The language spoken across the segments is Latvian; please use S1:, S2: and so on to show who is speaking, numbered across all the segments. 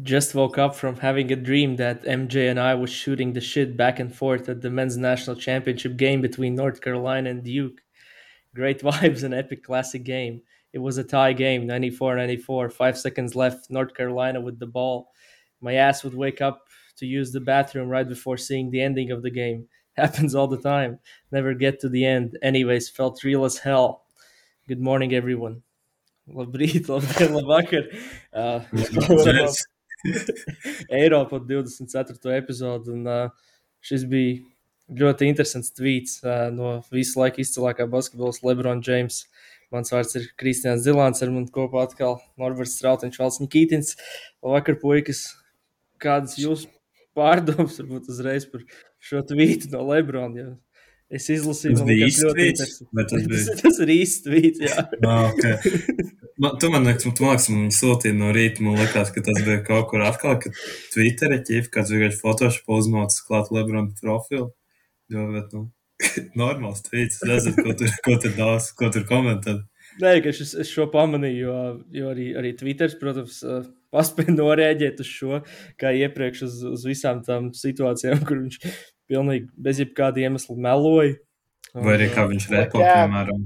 S1: Just woke up from having a dream that MJ and I was shooting the shit back and forth at the men's national championship game between North Carolina and Duke. Great vibes and epic classic game. It was a tie game, 94-94, 5 seconds left, North Carolina with the ball. My ass would wake up to use the bathroom right before seeing the ending of the game. Happens all the time. Never get to the end. Anyways, felt real as hell. Good morning, everyone. Labrīt, labdien, labvakar. Klausāmies
S2: Yes.
S1: Eiropa 24. epizodu. Šis bija ļoti interesants tvīts no visu laiku izcilākā basketbolists LeBron James. Mans vārds ir Kristians Zilāns, ar mani kopā atkal Norberts Strautiņš, Valsts Nikītins. Labvakar, puikas. Kādas jūsu pārdomas varbūt uzreiz par šo tvītu no LeBron? Jo es izlasīju,
S2: Tas
S1: man
S2: bija
S1: liekas,
S2: īsts
S1: ļoti
S2: tvīts?
S1: interesanti.
S2: Vai tas bija?
S1: Tas ir īsts tvīts, jā.
S2: Okay. Tu man sūtīji no rīta, man liekas, ka tas bija kaut kur atkal, ka Twitterī ķīf, kāds vienkārši Photoshop uzmaucis klāt LeBron profilu. Jo, bet, normāls tvīts. Es nezinu, ko tur komentēt.
S1: Nē, ka es šo pamanīju, jo arī Twitters, protams, paspēja noreaģēt uz šo, kā iepriekš uz visām tām situācijām, kur viņš pilnīgi bez jebkāda iemesla meloja.
S2: Vai arī kā viņš repo, piemēram.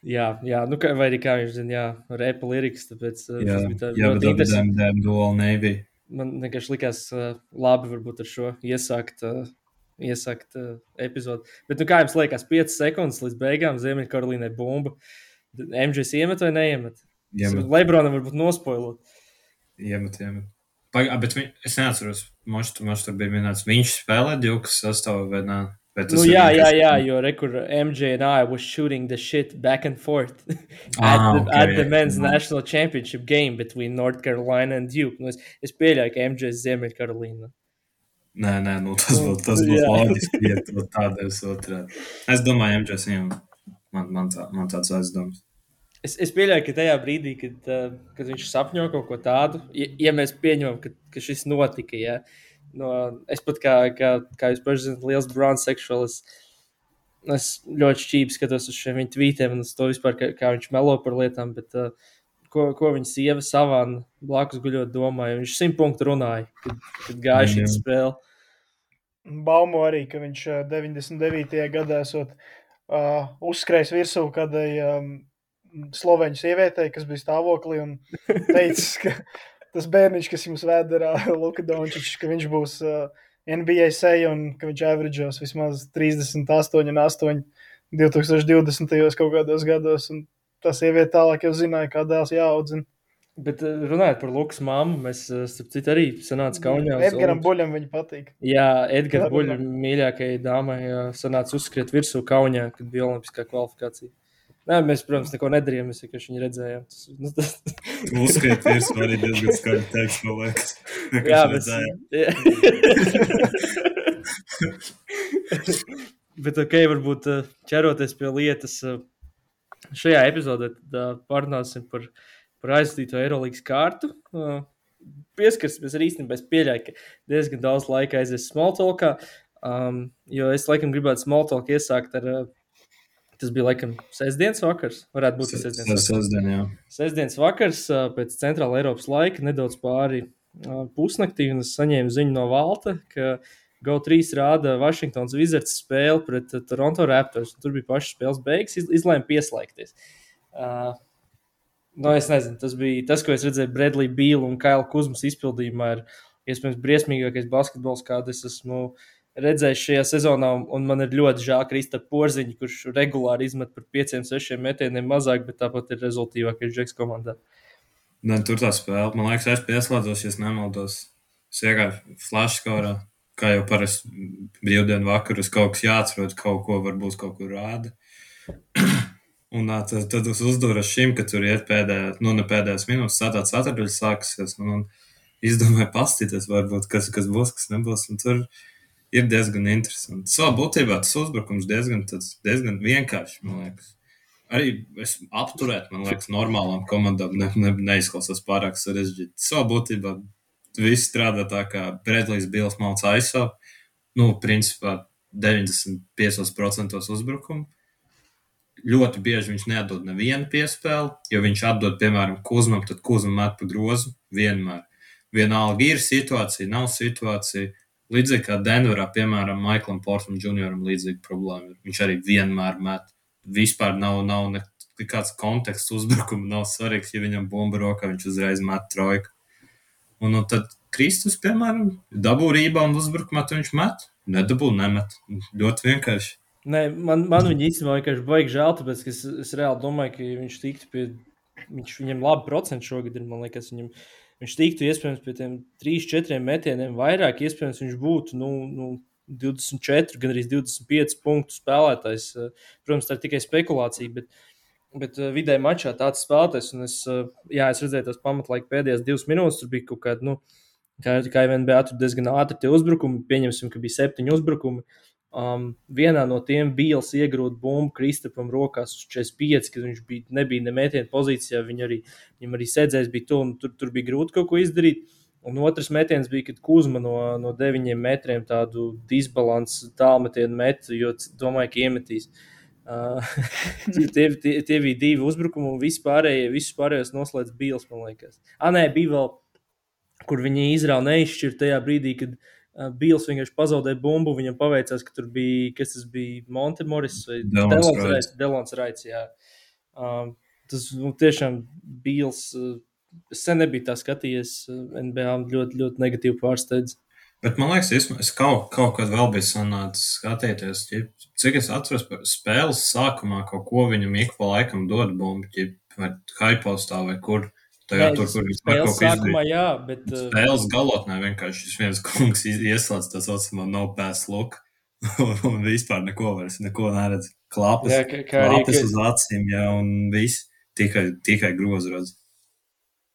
S1: Jā, vai arī kā viņš zina, repa lirikas, tāpēc
S2: Jā,
S1: tas bija tā
S2: bet
S1: ļoti interesanti.
S2: damn dual Navy.
S1: Man vienkārši likās labi varbūt ar šo iesākt epizodu. Bet, kā jums liekas, 5 sekundes līdz beigām Ziemeļkarolīnai bumba. MJs iemet vai neiemet? Lebronam varbūt nospoilot.
S2: Iemet. Bet es neatceros, moš tur bija minēts, viņš spēlē Dukas sastāvu vai nē?
S1: Jā, jo rekur MJ and I was shooting the shit back and forth at the men's national championship game between North Carolina and Duke. Es pieļauju, ka MJ ir Ziemeļkarolīna.
S2: Nē, tas būtu loģiski, ja tu tādēļ otrādi. Es domāju, MJ man tāds aizdoms.
S1: Es pieļauju, ka tajā brīdī, kad viņš sapņo kaut ko tādu, ja mēs pieņemam, ka šis notika, ja, es pat kā jūs paši zināt, liels Browns seksuālis, es ļoti šķīvi skatos uz šiem viņa tvītiem un uz to vispār, kā viņš melo par lietām, bet ko viņa sieva Savana blakus guļot domāja, viņš 100 punktu runāja, kad gāja šī spēle.
S3: Baumo arī, ka viņš 99. gadā esot uzskrējis virsū kādai sloveņu sievietei, kas bija stāvoklī un teicis, ka tas bērniņš, kas jums vēderā Luka Dončičs, ka viņš būs NBA seja un ka viņš averageos vismaz 38,8 2020. kaut kādos gados. Un tā sieviete tālāk jau zināja, kā dēls jāaudzina.
S1: Bet runājot par Lukas mammu, mēs starp citu arī sanāca Kaunijā.
S3: Edgaram Buļam viņa patīk.
S1: Jā, Edgars Buļam mīļākajai dāmai sanāca uzskriet virsū Kaunijā, kad bija olimpiskā kvalifikācija. Nē, mēs, protams, neko nedarījām, mēs vienkārši viņu redzējām.
S2: Uzskriet virsū arī diezgan skaļi teiks, man liekas.
S1: Jā, bet ok, varbūt ķeroties pie lietas, šajā epizodē parunāsim par aizstīto Eirolīgas kārtu. Pieskarsimies arī īstenībā, es pieļauju, ka diezgan daudz laika aizies smalltalkā, jo es laikam gribētu smalltalk iesākt ar... Tas bija laikam sestdienas vakars, varētu būt sestdienas vakars pēc Centrāla Eiropas laika, nedaudz pāri pusnaktī, un es saņēmu ziņu no Valta, ka GO3 rāda Washingtons Wizards spēli pret Toronto Raptors, un tur bija pašas spēles beigas, izlēma pieslēgties. Es nezinu, tas bija tas, ko es redzēju Bradley Beal un Kaila Kuzmas izpildījumā, ir iespējams briesmīgākais basketbols, kādu es esmu redzējis šajā sezonā, un man ir ļoti žēl Kristapa Porziņa, kurš regulāri izmet par 5-6 metieniem mazāk, bet tāpat ir rezultīvākais Džeks komandā.
S2: Ne, tur tā spēle. Man liekas, es pieslēdzos, ja es nemaldos. Es vienkārši flashskorā, kā jau parasti brīvdienu vakarus, kaut kas jāatrod, kaut ko varbūt kaut kur rāda. Un tad es uzduru šim, ka tur iet pēdējās minūtes, ceturtdaļas sāksies, un izdomāju pastīties varbūt, kas būs, kas nebūs, un tur ir diezgan interesanti. Savā būtībā tas uzbrukums diezgan vienkārši, man liekas. Arī es apturēt, man liekas, normālām komandām neizklausās pārāk sarežģīti. Savā būtībā viss strādā tā, kā Bradleys Bills malc ISO, principā 95% uzbrukumu. ļoti bieži viņš neatdod nevienu piespēli, jo viņš atdod, piemēram, Kuzmam, tad Kuzma met pa grozu vienmēr. Vienalga ir situācija, nav situācija. Līdzīgi kā Denverā, piemēram, Maiklam Portam Junioram līdzīga problēma. Viņš arī vienmēr met. Vispār nav nekāds konteksts uzbrukuma, nav svarīgs, ja viņam bumba rokā, viņš uzreiz met trojku. Un tad Kristus, piemēram, dabū rebound uzbrukumā, tad viņš met. Nedabū, nemet. Ļoti vienkārši.
S1: Nē, man viņa īstenībā vienkārši baigi žēl, tāpēc, ka es reāli domāju, ka viņš tiktu pie, viņam labi procenti šogad ir, man liekas, viņš tiktu iespējams pie tiem 3-4 metieniem vairāk, iespējams viņš būtu, 24, gan arī 25 punktu spēlētājs. Protams, tā ir tikai spekulācija, bet vidēji mačā tāds spēlētājs, un es redzēju tās pamatlaika pēdējās 2 minūtes, tur bija kaut kāda, kā NBA tur diezgan ātri tie uzbrukumi, pieņemsim, ka bija 7 uzbrukumi. Vienā no tiem Bīls iegrūda bumbu Kristapam rokās uz 45, kad viņš nebija nemētienu pozīcijā, viņam arī sēdzējs bija to, un tur bija grūti kaut ko izdarīt. Un otrs metiens bija, kad Kuzma no 9 metriem tādu disbalansu tālmetienu metu, jo domāju, ka iemetīs. Tie bija 2 uzbrukumi, un visus pārējos noslēdz Bīls, man liekas. Nē, bija vēl, kur viņi izrāva neizšķirt tajā brīdī, kad Bīls vienkārši pazaudēja bumbu, viņam paveicās, ka tur bija, kas tas bija, Monte Morris vai Delons Raits, jā. Tas tiešām Bīls, es sen nebiju tā skatījies, NBA ļoti, ļoti negatīvi pārsteidz.
S2: Bet man liekas, es kaut kad vēl biju sanācis skatīties, cik es atceros par spēles sākumā kaut ko viņam ik pa laikam dod bumbu, vai haipostā vai kur. Tajā tur vispār kaut ko
S1: sākumā, jā, bet...
S2: Spēles galotnē vienkārši šis viens kungs ieslēdz tā saucamā no pass look un vispār neko neredz. Klāpes uz acīm, jā, un viss tikai grozu redz.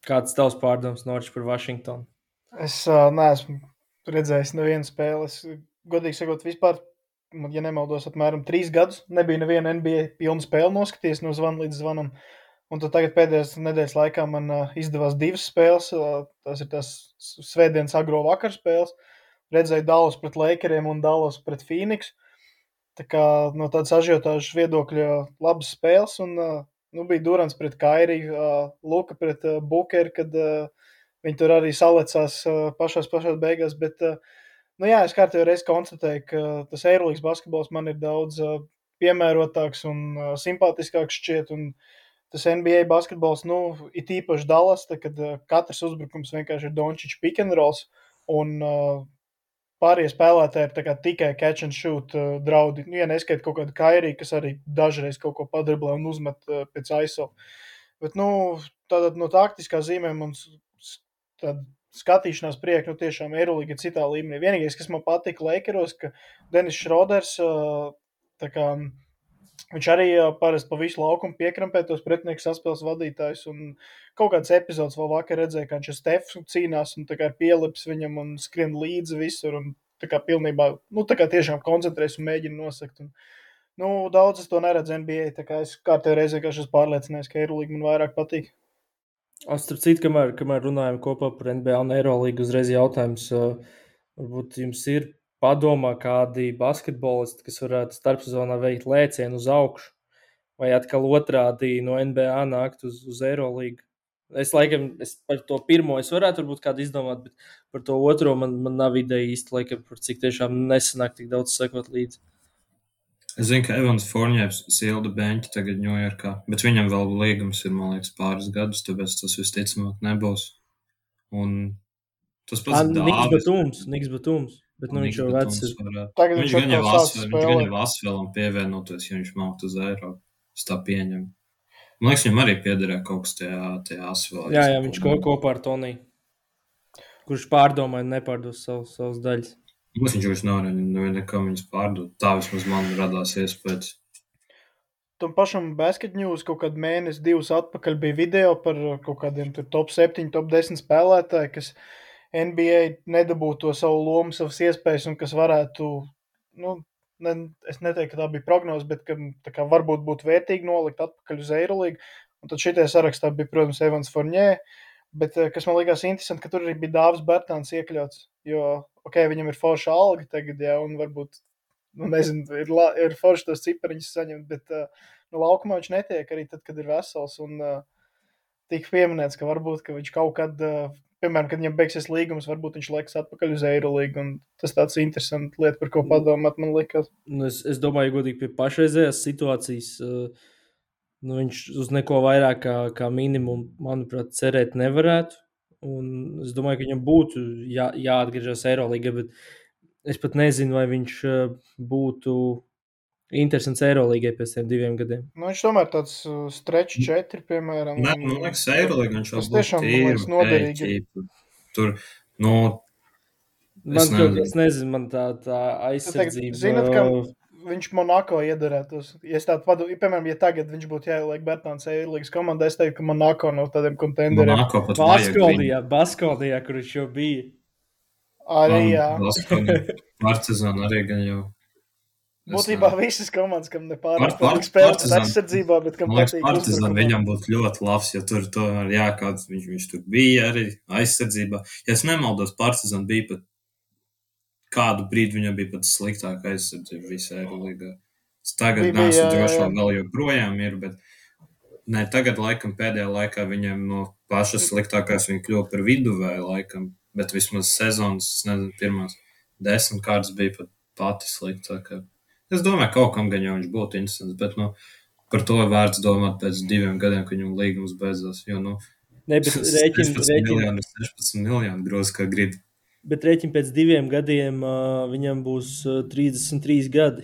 S1: Kāds tavs pārdoms, Norčs, par Washingtonu?
S3: Es neesmu redzējis nevienu spēli. Es, godīgi sakot, vispār, ja nemaldos, apmēram 3 gadus nebija neviena NBA pilna spēle noskaties no zvana līdz zvanam. Un tad tagad pēdējās nedēļas laikā man izdevās 2 spēles. Tas ir tās svētdienas agro vakar spēles. Redzēju Dallas pret Lakeriem un Dallas pret Phoenix. Tā kā no tādas ažiotāžas viedokļa labas spēles. Un bija Durants pret Kairi, Luka pret Bukeri, kad viņi tur arī salecās pašās beigās. Bet, es kārtējo reizi konstatēju, ka tas Eirolīgas basketbols man ir daudz piemērotāks un simpātiskāks šķiet. Un tas NBA basketbols, it īpaši Dallas, kad katrs uzbrukums vienkārši ir Dončičs pick and rolls, un pārējie spēlētāji ir tikai catch and shoot draudi. Ja neskait kaut kādu Kairī, kas arī dažreiz kaut ko padriblē un uzmet pēc ISO. Bet, tātad no taktiskā zīmēm un tāda skatīšanās prieka, tiešām Eirolīga ir citā līmenī. Vienīgais, kas man patika Lakeros, ka Denis Šroders, viņš arī parasti pa visu laukumu piekrampē tos pretinieku saspēles vadītājus, un kaut kāds epizods vēl vakar redzēja, kā viņš ar Stefu cīnās un pielips viņam un skrien līdzi visur, un pilnībā, tiešām koncentrēs un mēģina nosakt. Un, daudz es to neredzu NBA, tā kā es kārtējo reizi vienkārši esmu pārliecinājies, ka Eirolīga man vairāk patīk.
S1: Starp citu, kamēr runājam kopā par NBA un Eirolīgu, uzreiz jautājums, varbūt jums ir padomā kādi basketbolisti, kas varētu starpsezonā veikt lēcienu uz augšu, vai atkal otrādi no NBA nākt uz Eirolīgu. Es par to pirmo es varētu varbūt kādu izdomāt, bet par to otro man nav ideja īsti, laikam, par cik tiešām nesanāk tik daudz sekot līdzi.
S2: Es zinu, ka Evans Fourniers silda beņķi tagad Ņujorkā, bet viņam vēl līgums ir, man liekas, pāris gadus, tāpēc tas visticamāk nebūs. Un tas pats
S1: Niks Batums. Bet viņš jau vecs ir.
S2: Viņš gan jau Asvelam pievienoties, ja viņš mākt uz Eiropu. Es tā pieņemu. Man liekas, viņam arī piederēja kaut kas tajā Asvelā.
S1: Jā, viņš kopā ar Toniju. Kurš pārdomāja un nepārdos savas daļas.
S2: Viņš vairs nav nekam viņas pārdot. Tā vismaz man radās iespējas.
S3: Tam pašam Basket News kaut kādu mēnesi, 2 atpakaļ bija video par kaut kādiem top 7, top 10 spēlētāji, kas NBA nedabūtu to savu lomu, savas iespējas, un kas varētu, es neteiktu, ka tā bija prognoze, bet ka varbūt būtu vērtīgi nolikt atpakaļ uz Eirolīgu. Un tad šitie sarakstā bija, protams, Evans Fournier, bet kas man likās interesanti, ka tur arī bija Dāvis Bertāns iekļauts, jo, viņam ir forša alga tagad, jā, un varbūt, nezinu, ir forši tos cipariņus saņemt, bet laukumā viņš netiek arī tad, kad ir vesels. Un tika pieminēts, ka varbūt ka viņš kaut kad, piemēram, kad viņam beigsies līgums, varbūt viņš liekas atpakaļ uz Eirolīgu. Tas tāds interesants lieta, par ko padomāt, man liekas.
S1: Es domāju, godīgi pie pašreizējās situācijas. Viņš uz neko vairāk kā minimumu, manuprāt, cerēt nevarētu. Un es domāju, ka viņam būtu jāatgriežas Eirolīgā, bet es pat nezinu, vai viņš būtu interesants Eirolīgai pēc tiem 2 gadiem.
S3: Viņš tomēr tāds stretch 4, piemēram.
S2: Man liekas, Eirolīga viņš jau
S3: tiešām būtu noderīgi.
S2: Tur,
S1: es nezinu, man tā aizsardzība.
S3: Zinat, ka viņš Monako iedarētos. Ja es tādu padomu, piemēram, ja tagad viņš būtu jāieliek Bertāns Eirolīgas komandā, es teiktu, ka Monako no tādiem kontenderiem.
S2: Monako pat
S1: Baskolijā, kur viņš jau bija.
S3: Arī, jā.
S2: Partizāna arī gan jau.
S3: Būtībā visas komandas, kam nepārāk patīk spēlēt aizsardzībā, bet kam patīk
S2: Partizāna viņam būtu ļoti labs, jo tur tomēr kāds viņš tur bija arī aizsardzībā. Ja es nemaldos, Partizāna bija pat kādu brīdi viņam bija pat sliktāka aizsardzība visā Eirolīgā. Tagad neesmu droši, vēl joprojām ir, bet ne, tagad laikam pēdējā laikā viņam no pašas sliktākās viņa kļuva par viduvēju laikam, bet vismaz sezonas, es nezinu, pirmās 10 kārtas bija pat pati sliktākā. Es domāju, kaut kam gan jau viņš būtu interesants, bet par to vērts domāt pēc 2 gadiem, kad viņam līgums beidzās, jo 16 miljoni grozi, kā grib.
S1: Bet rēķini pēc 2 gadiem viņam būs 33 gadi.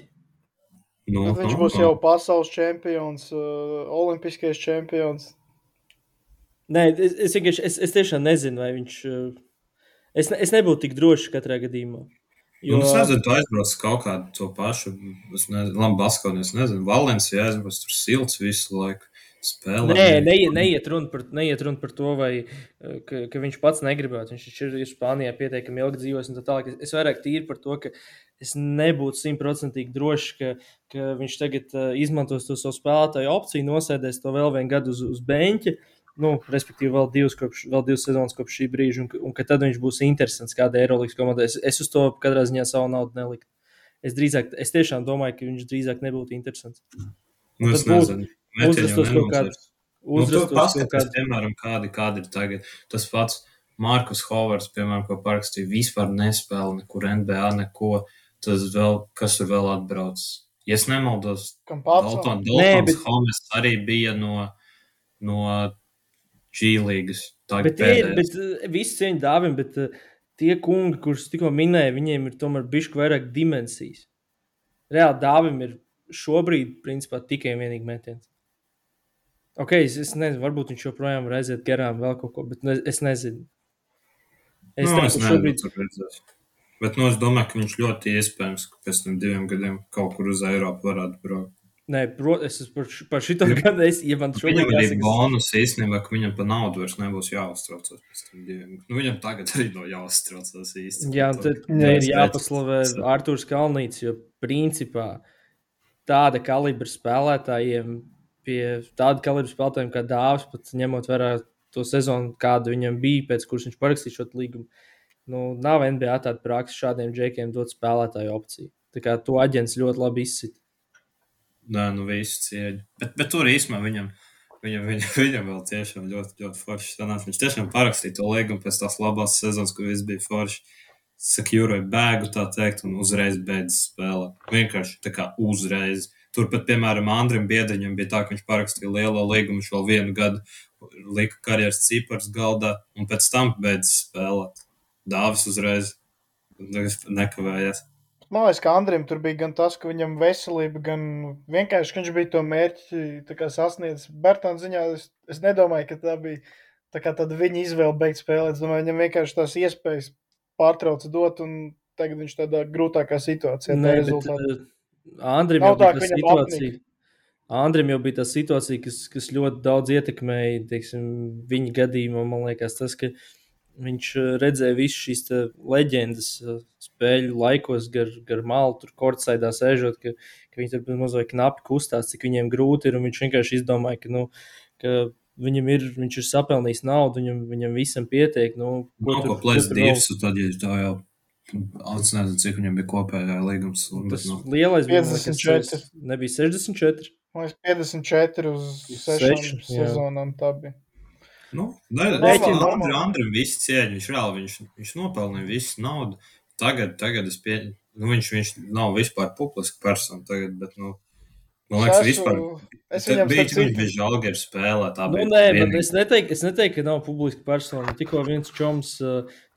S3: Viņš būs jau pasaules čempions, olimpiskais čempions.
S1: Nē, es tiešām nezinu, vai viņš... Es nebūtu tik drošs katrā gadījumā.
S2: Jo... Es nezinu, tu aizbrauc kaut kādu to pašu. Es nezinu, Baskoni, es nezinu, Valencija aizbrauc, tur silts visu laiku. Spēlē.
S1: Neiet runa par to, ka viņš pats negribētu. Viņš ir Spānijā pietiekami ilgi dzīvos un tā tālāk. Es vairāk tīri par to, ka es nebūtu 100% drošs, ka viņš tagad izmantos to savu spēlētāju opciju, nosēdēs to vēl 1 gadu uz beņķa, respektīvi vēl 2 sezonas kopš šī brīža, un ka tad viņš būs interesants kāda Eirolīgas komanda. Es uz to katrā ziņā savu naudu neliktu. Es tiešām domāju, ka viņš drīzāk nebūtu interesants.
S2: Es nezinu.
S1: Uzrastos kaut kādu.
S2: Piemēram, kādi ir tagad. Tas pats Markus Hovards, piemēram, ko parakstīja, vispār nespēle nekur NBA, neko. Tas vēl, kas tur vēl atbrauc. Ja es nemaldos, Daltons Homes arī bija no G-līgas.
S1: Bet visi cieņi dāvim, bet tie kungi, kurus tikko minēja, viņiem ir tomēr bišķi vairāk dimensijas. Reāli dāvim ir šobrīd, principā, tikai vienīgi metiens. Ok, es nezinu, varbūt viņš joprojām var aiziet garām vēl kaut ko, bet es nezinu.
S2: Es nezinu, bet es domāju, ka viņš ļoti iespējams, ka pēc tam 2 gadiem kaut kur uz Eiropu varētu braukt.
S1: Nē, es par šito gadu, ja man šobrīd
S2: viņam arī bonus īstenībā, ka viņam pa naudu vairs nebūs jāuztraucas pēc tam 2 gadiem. Viņam tagad arī nav jāuztraucas īsti.
S1: Jā, tad ir jāpaslavē Artūrs Kalnīts, jo principā tāda kalibra spēlētājiem pie tāda kalibra spēlētājiem kā Dāvis, pat ņemot vērā to sezonu, kāda viņam bija, pēc kuras viņš parakstīja šo līgumu. Nav NBA tāda praksa šādiem džekiem dot spēlētāju opciju. Tā kā to aģents ļoti labi izsit.
S2: Nē, visu cieņu. Bet tur īstenībā viņam vēl tiešām ļoti, ļoti forši sanāca. Viņš tiešām parakstīja to līgumu pēc tās labās sezonas, kur viss bija forši. Sekjūroja bēgu, tā teikt, un uzreiz beidz spēlēt. Vienkārši tā kā uzreiz. Turpat, piemēram, Andrim Biedriņam bija tā, ka viņš parakstīja lielo līgumu, viņš vēl 1 gadu lika karjeras cipars galdā, un pēc tam beidz spēlēt. Dāvis uzreiz nekavējās.
S3: Man liekas, ka Andrim tur bija gan tas, ka viņam veselība, gan vienkārši, ka viņš bija to mērķi sasniedzis. Bertāna ziņā es nedomāju, ka tā bija tāda viņa izvēle beigt spēlēt. Es domāju, viņam vienkārši tās iespējas pārtrauca dot, un tagad viņš tādā grūtākā situācijā.
S1: Andrim jau bija tā situācija, kas ļoti daudz ietekmēja, teiksim, viņa gadījumā. Man liekas, tas, ka viņš redzēja visu šīs leģendas spēļu laikos gar malu, tur kortsaidā sēžot, ka viņi tur mazliet knapi kustās, cik viņiem grūti ir, un viņš vienkārši izdomāja, ka viņš ir sapelnījis naudu, viņam visam pietiek.
S2: Ko plēst divs, tad ja tā jau Es nezinu, cik viņam bija kopējā līgums.
S1: Tas
S2: Bet,
S1: lielais bija, man
S3: 54.
S1: liekas, nebija 64.
S3: Man liekas, 54 uz 6 sezonām tā bija.
S2: Andrim viss cieņa, viņš nopelnīja visu naudu. Tagad es pieņemu, viņš nav vispār publiska persona tagad, bet, man liekas, vispār. Viņš bija Žalgiris spēlē.
S1: Es neteiktu, ka nav publiska persona. Tikko viens čoms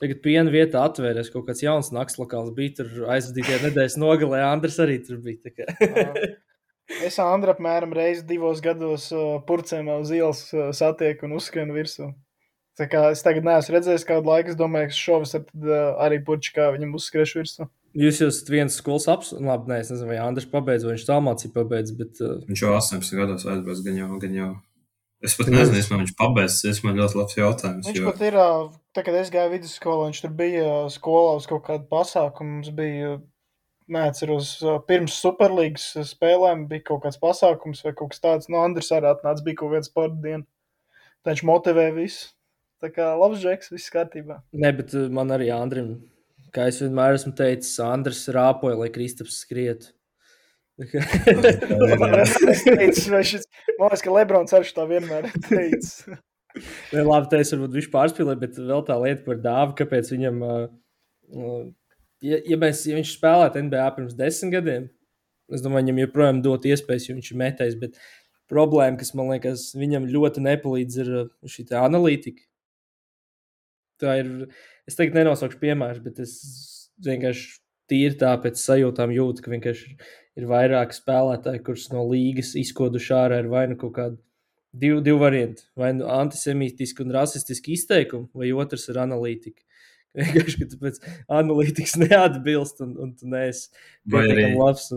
S1: tagad piena vietā atvērās, kaut kāds jauns nakslokāls bija tur aizvadītajā nedēļas nogalē. Andris arī tur bija.
S3: Es Andru apmēram reizi 2 gados purcēmā uz ielas satieku un uzskrienu virsū. Tā kā es tagad neesmu redzējis kādu laiku, es domāju, ka šovasar arī purči kā viņam uzskriešu virsū.
S1: Jūs esat viens skolas labi, es nezinu, vai Andris pabeidz, vai viņš tālmācību pabeidz, bet...
S2: Viņš jau 18 gados aizbrauc, gan jau. Es pat nezinu, vai viņš pabeidz, tas man ļoti labs jautājums.
S3: Viņš pat ir, tā, kad es gāju vidusskolā, viņš tur bija skolā uz kaut kādu pasākumu, mums bija, neatceros, pirms Superlīgas spēlēm bija kaut kāds pasākums vai kaut kas tāds, Andris arī atnāca, bija kaut kāds sporta diena, tā viņš motivē visu. Tā kā labs džeks, viss kārtībā.
S1: Ne, bet man arī Andrim, kā es vienmēr esmu teicis, Andris rāpoja, lai Kristaps skrietu.
S3: Man liekas, ka Lebrons arī tā vienmēr teicis.
S1: Labi, tā es varbūt viņš pārspīlē, bet vēl tā lieta par Dāvu, kāpēc viņam, ja viņš spēlētu NBA pirms 10 gadiem, es domāju, viņam joprojām dot iespējas, jo viņš ir metējis, bet problēma, kas man liekas, viņam ļoti nepalīdz, ir šī tā analītika. Tā ir, es tagad nenosaukšu piemēru, bet es vienkārši tīri tā pēc sajūtām jūtu, ka vienkārši ir vairāk spēlētāji, kurus no līgas izkoduši ārā ir vai nu kaut kādi divi varianti, vai nu antisemītiski un rasistiski izteikumi, vai otrs ir analītika. Vienkārši, ka tu pēc analītikas neatbilst un tu neesi pietiekami labs.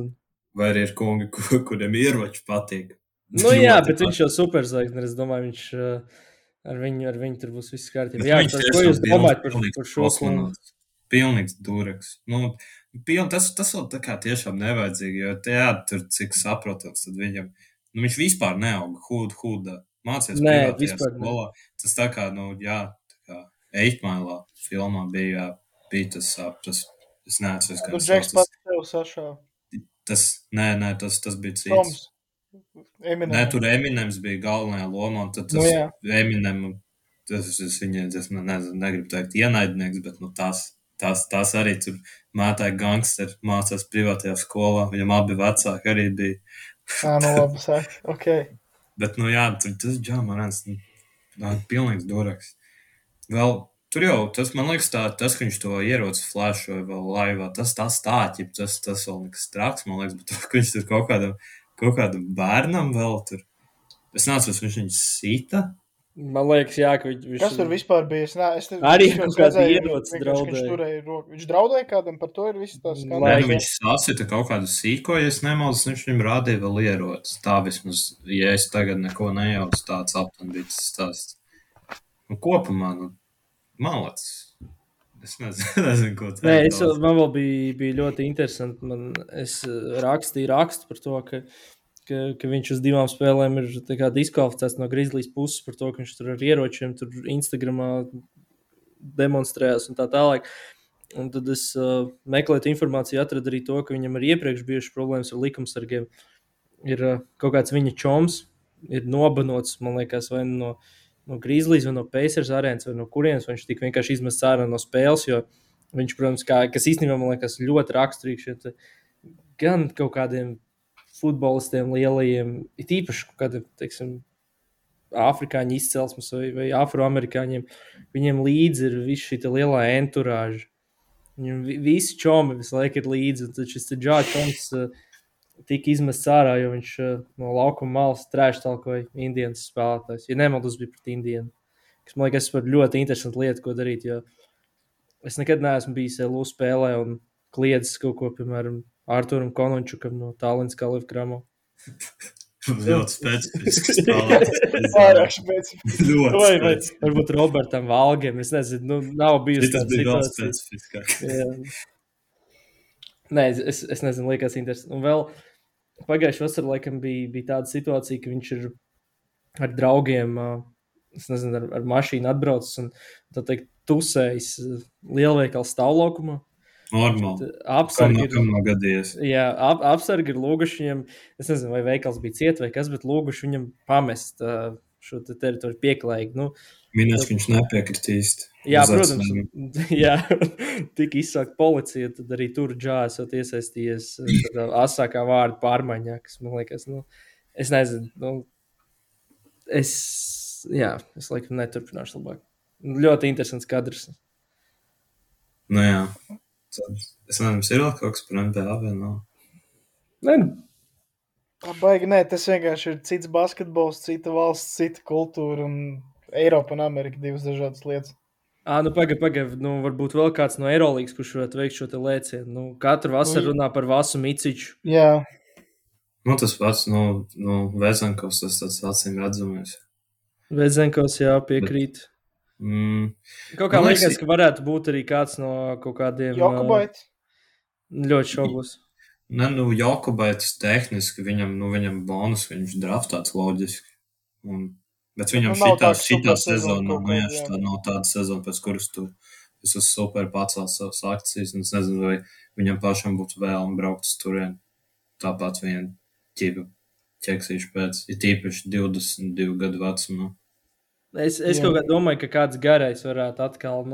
S2: Vai arī ir kungi, kuriem ieroči patīk.
S1: Jā, bet viņš jau superzvaigznes, es domāju, viņš... Ar viņu tur būs viss kārtībā. Jā, ko jūs domājat par šo kungu?
S2: Pilnīgs dureks. Tas vēl tā kā tiešām nevajadzīgi, jo tur cik saprotams, tad viņam, viņš vispār neauga hudā. Mācies privātajā skolā. Tas tā kā, tā kā 8 Mile filmā bija tas, es neatceros, kā
S3: tas Džeks pats tev sašāva.
S2: Tas bija cits. Nē, tur Eminems bija galvenajā lomā, un tad tas Eminem, tas negribu teikt ienaidnieks, bet tās arī tur mētāja gangsteri, mācās privātajā skolā, viņam abi vecāki arī bija.
S3: Labi sāk, ok.
S2: Bet, tas Džamarans, pilnīgs duraks. Vēl, tur jau, tas, man liekas, tas, ka viņš to ieroci flashoja vēl laivā, tas stāķi, tas vēl nekas traks, man liekas, bet to, ka viņš tur kaut kādam bērnam vēl tur. Es neatceros, viņš sita.
S1: Man liekas, jā, ka viņš...
S3: Kas tur vispār bija?
S1: Arī kaut kāda ierocis draudēja.
S3: Viņš draudēja kādam, par to ir viss tās skandāls.
S2: Viņš sasita kaut kādu sīko, ja es nemaldos, viņš viņam rādīja vēl ierocis. Tā vismaz, ja es tagad neko nejaucu, tāds aptuveni bija tas stāsts. Kopumā, malāc. Es nezinu, ko tā ir.
S1: Man vēl bija ļoti interesanti. Es rakstīju rakstu par to, ka viņš uz 2 spēlēm ir diskvalificēts no Grizzlies puses par to, ka viņš tur ar ieročiem tur Instagramā demonstrējās un tā tālāk. Un tad es meklēju informāciju, atradu arī to, ka viņam ir iepriekš bijušas problēmas ar likumsargiem. Ir kaut kāds viņa čoms, ir nobanots, man liekas, vai no Grizzlies, vai no Pacers arēnas, vai no kurienes, vai viņš tik vienkārši izmests ārā no spēles, jo viņš, protams, kas īstenībā, man liekas, ļoti raksturīgs, gan kaut kādiem futbolistiem lielajiem, it īpaši kaut kādiem, teiksim, afrikāņu izcelsmes vai afroamerikāņiem, viņiem līdzi ir viss šī lielā enturāža. Viņam visi čomi visu laiku ir līdzi, un tad šis Džāčoms tika izmests ārā, jo viņš no laukuma malas trēštalkoja Indienas spēlētājs. Ja nemaldos, bija pret Indienu. Kas, man liekas, par ļoti interesantu lietu, ko darīt, jo es nekad neesmu bijis LU spēlē un kliedzis kaut ko, piemēram, Arturam Konončukam no Tallinas Kalifu Kramo.
S2: Ļoti specifisks spēlētājs.
S3: Pārāk specifisks.
S2: Ļoti specifisks.
S1: Varbūt Robertam Valgiem, es nezinu, nav bijusi
S2: tāda situācija. Tas bija vēl specifiskāk.
S1: Nē, es nezinu, liekas interesanti. Un vēl pagājuši vasar, laikam, bija tāda situācija, ka viņš ir ar draugiem, es nezinu, ar mašīnu atbraucis un, tā teikt, tusējis lielveikala stāvlaukumā.
S2: Normāli.
S1: Apsargi ir.
S2: Kam nav gadījies?
S1: Jā, apsargi ir lūguši viņam, es nezinu, vai veikals bija ciet vai kas, bet lūguši viņam pamest šo teritoriju pieklājīgi. Nu,
S2: Minēs, ka viņš nepiekritīs.
S1: jā, protams, jā, tika izsākt policija, tad arī tur džāsot iesaistījies asākā vārdu pārmaiņā, kas man liekas, nu, es nezinu, es laikam neturpināšu labāk. Ļoti interesants kadrs.
S2: Nu jā. Es nezinu, ir vēl kaut kas par NBA vai nav?
S1: Nē,
S3: Baigi, nē, tas vienkārši ir cits basketbols, cita valsts, cita kultūra un Eiropa un Amerika divas dažādas lietas.
S1: nu pagaid, nu varbūt vēl kāds no Eirolīgas, kurš varētu veikt šo te lēcienu. Nu, katru vasaru runā par Vasu Miciču.
S3: Jā.
S2: Nu, tas pats, Vezenkovs, tas tāds acīm redzamais.
S1: Vezenkovs, jā, piekrīt. Kaut kā liekas, ka varētu būt arī kāds no kaut kādiem...
S3: Jokubaits?
S1: Ļoti šaubos.
S2: Ne, Jokubaits tehniski, viņam bonus, viņš draftāts loģiski. Bet viņam šitā sezona nav tāda sezona, pēc kuras tu esi super pacēls savas akcijas, un es nezinu, vai viņam pašam būtu vēlme braukt uz turien. Tāpat vien ķipa ķeksīšu pēc, ir tīpaši 22 gadu vecumā.
S1: Es kaut kā domāju, ka kāds garais varētu atkal,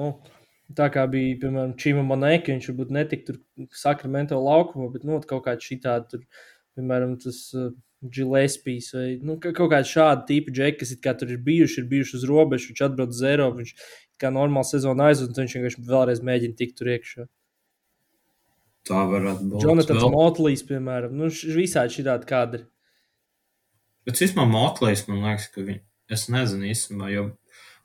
S1: tā kā bija, piemēram, Čima Monēka, viņš varbūt netik tur Sakramento laukumā, bet, kaut kāds šitādi tur, piemēram, tas Gillespijs vai, kaut kāds šādi tipi džeki, kas it kā tur ir bijuši uz robežu, viņš atbrauc uz Eiropu, viņš kā normāli sezonu aizved, un viņš vienkārši vēlreiz mēģina tikt tur iekšā.
S2: Tā varētu būt.
S1: Jonathans Motlīs, piemēram, visādi šitādi kadri.
S2: Bet vismaz Motlīs, man liekas, ka es nezinu īstenībā, jo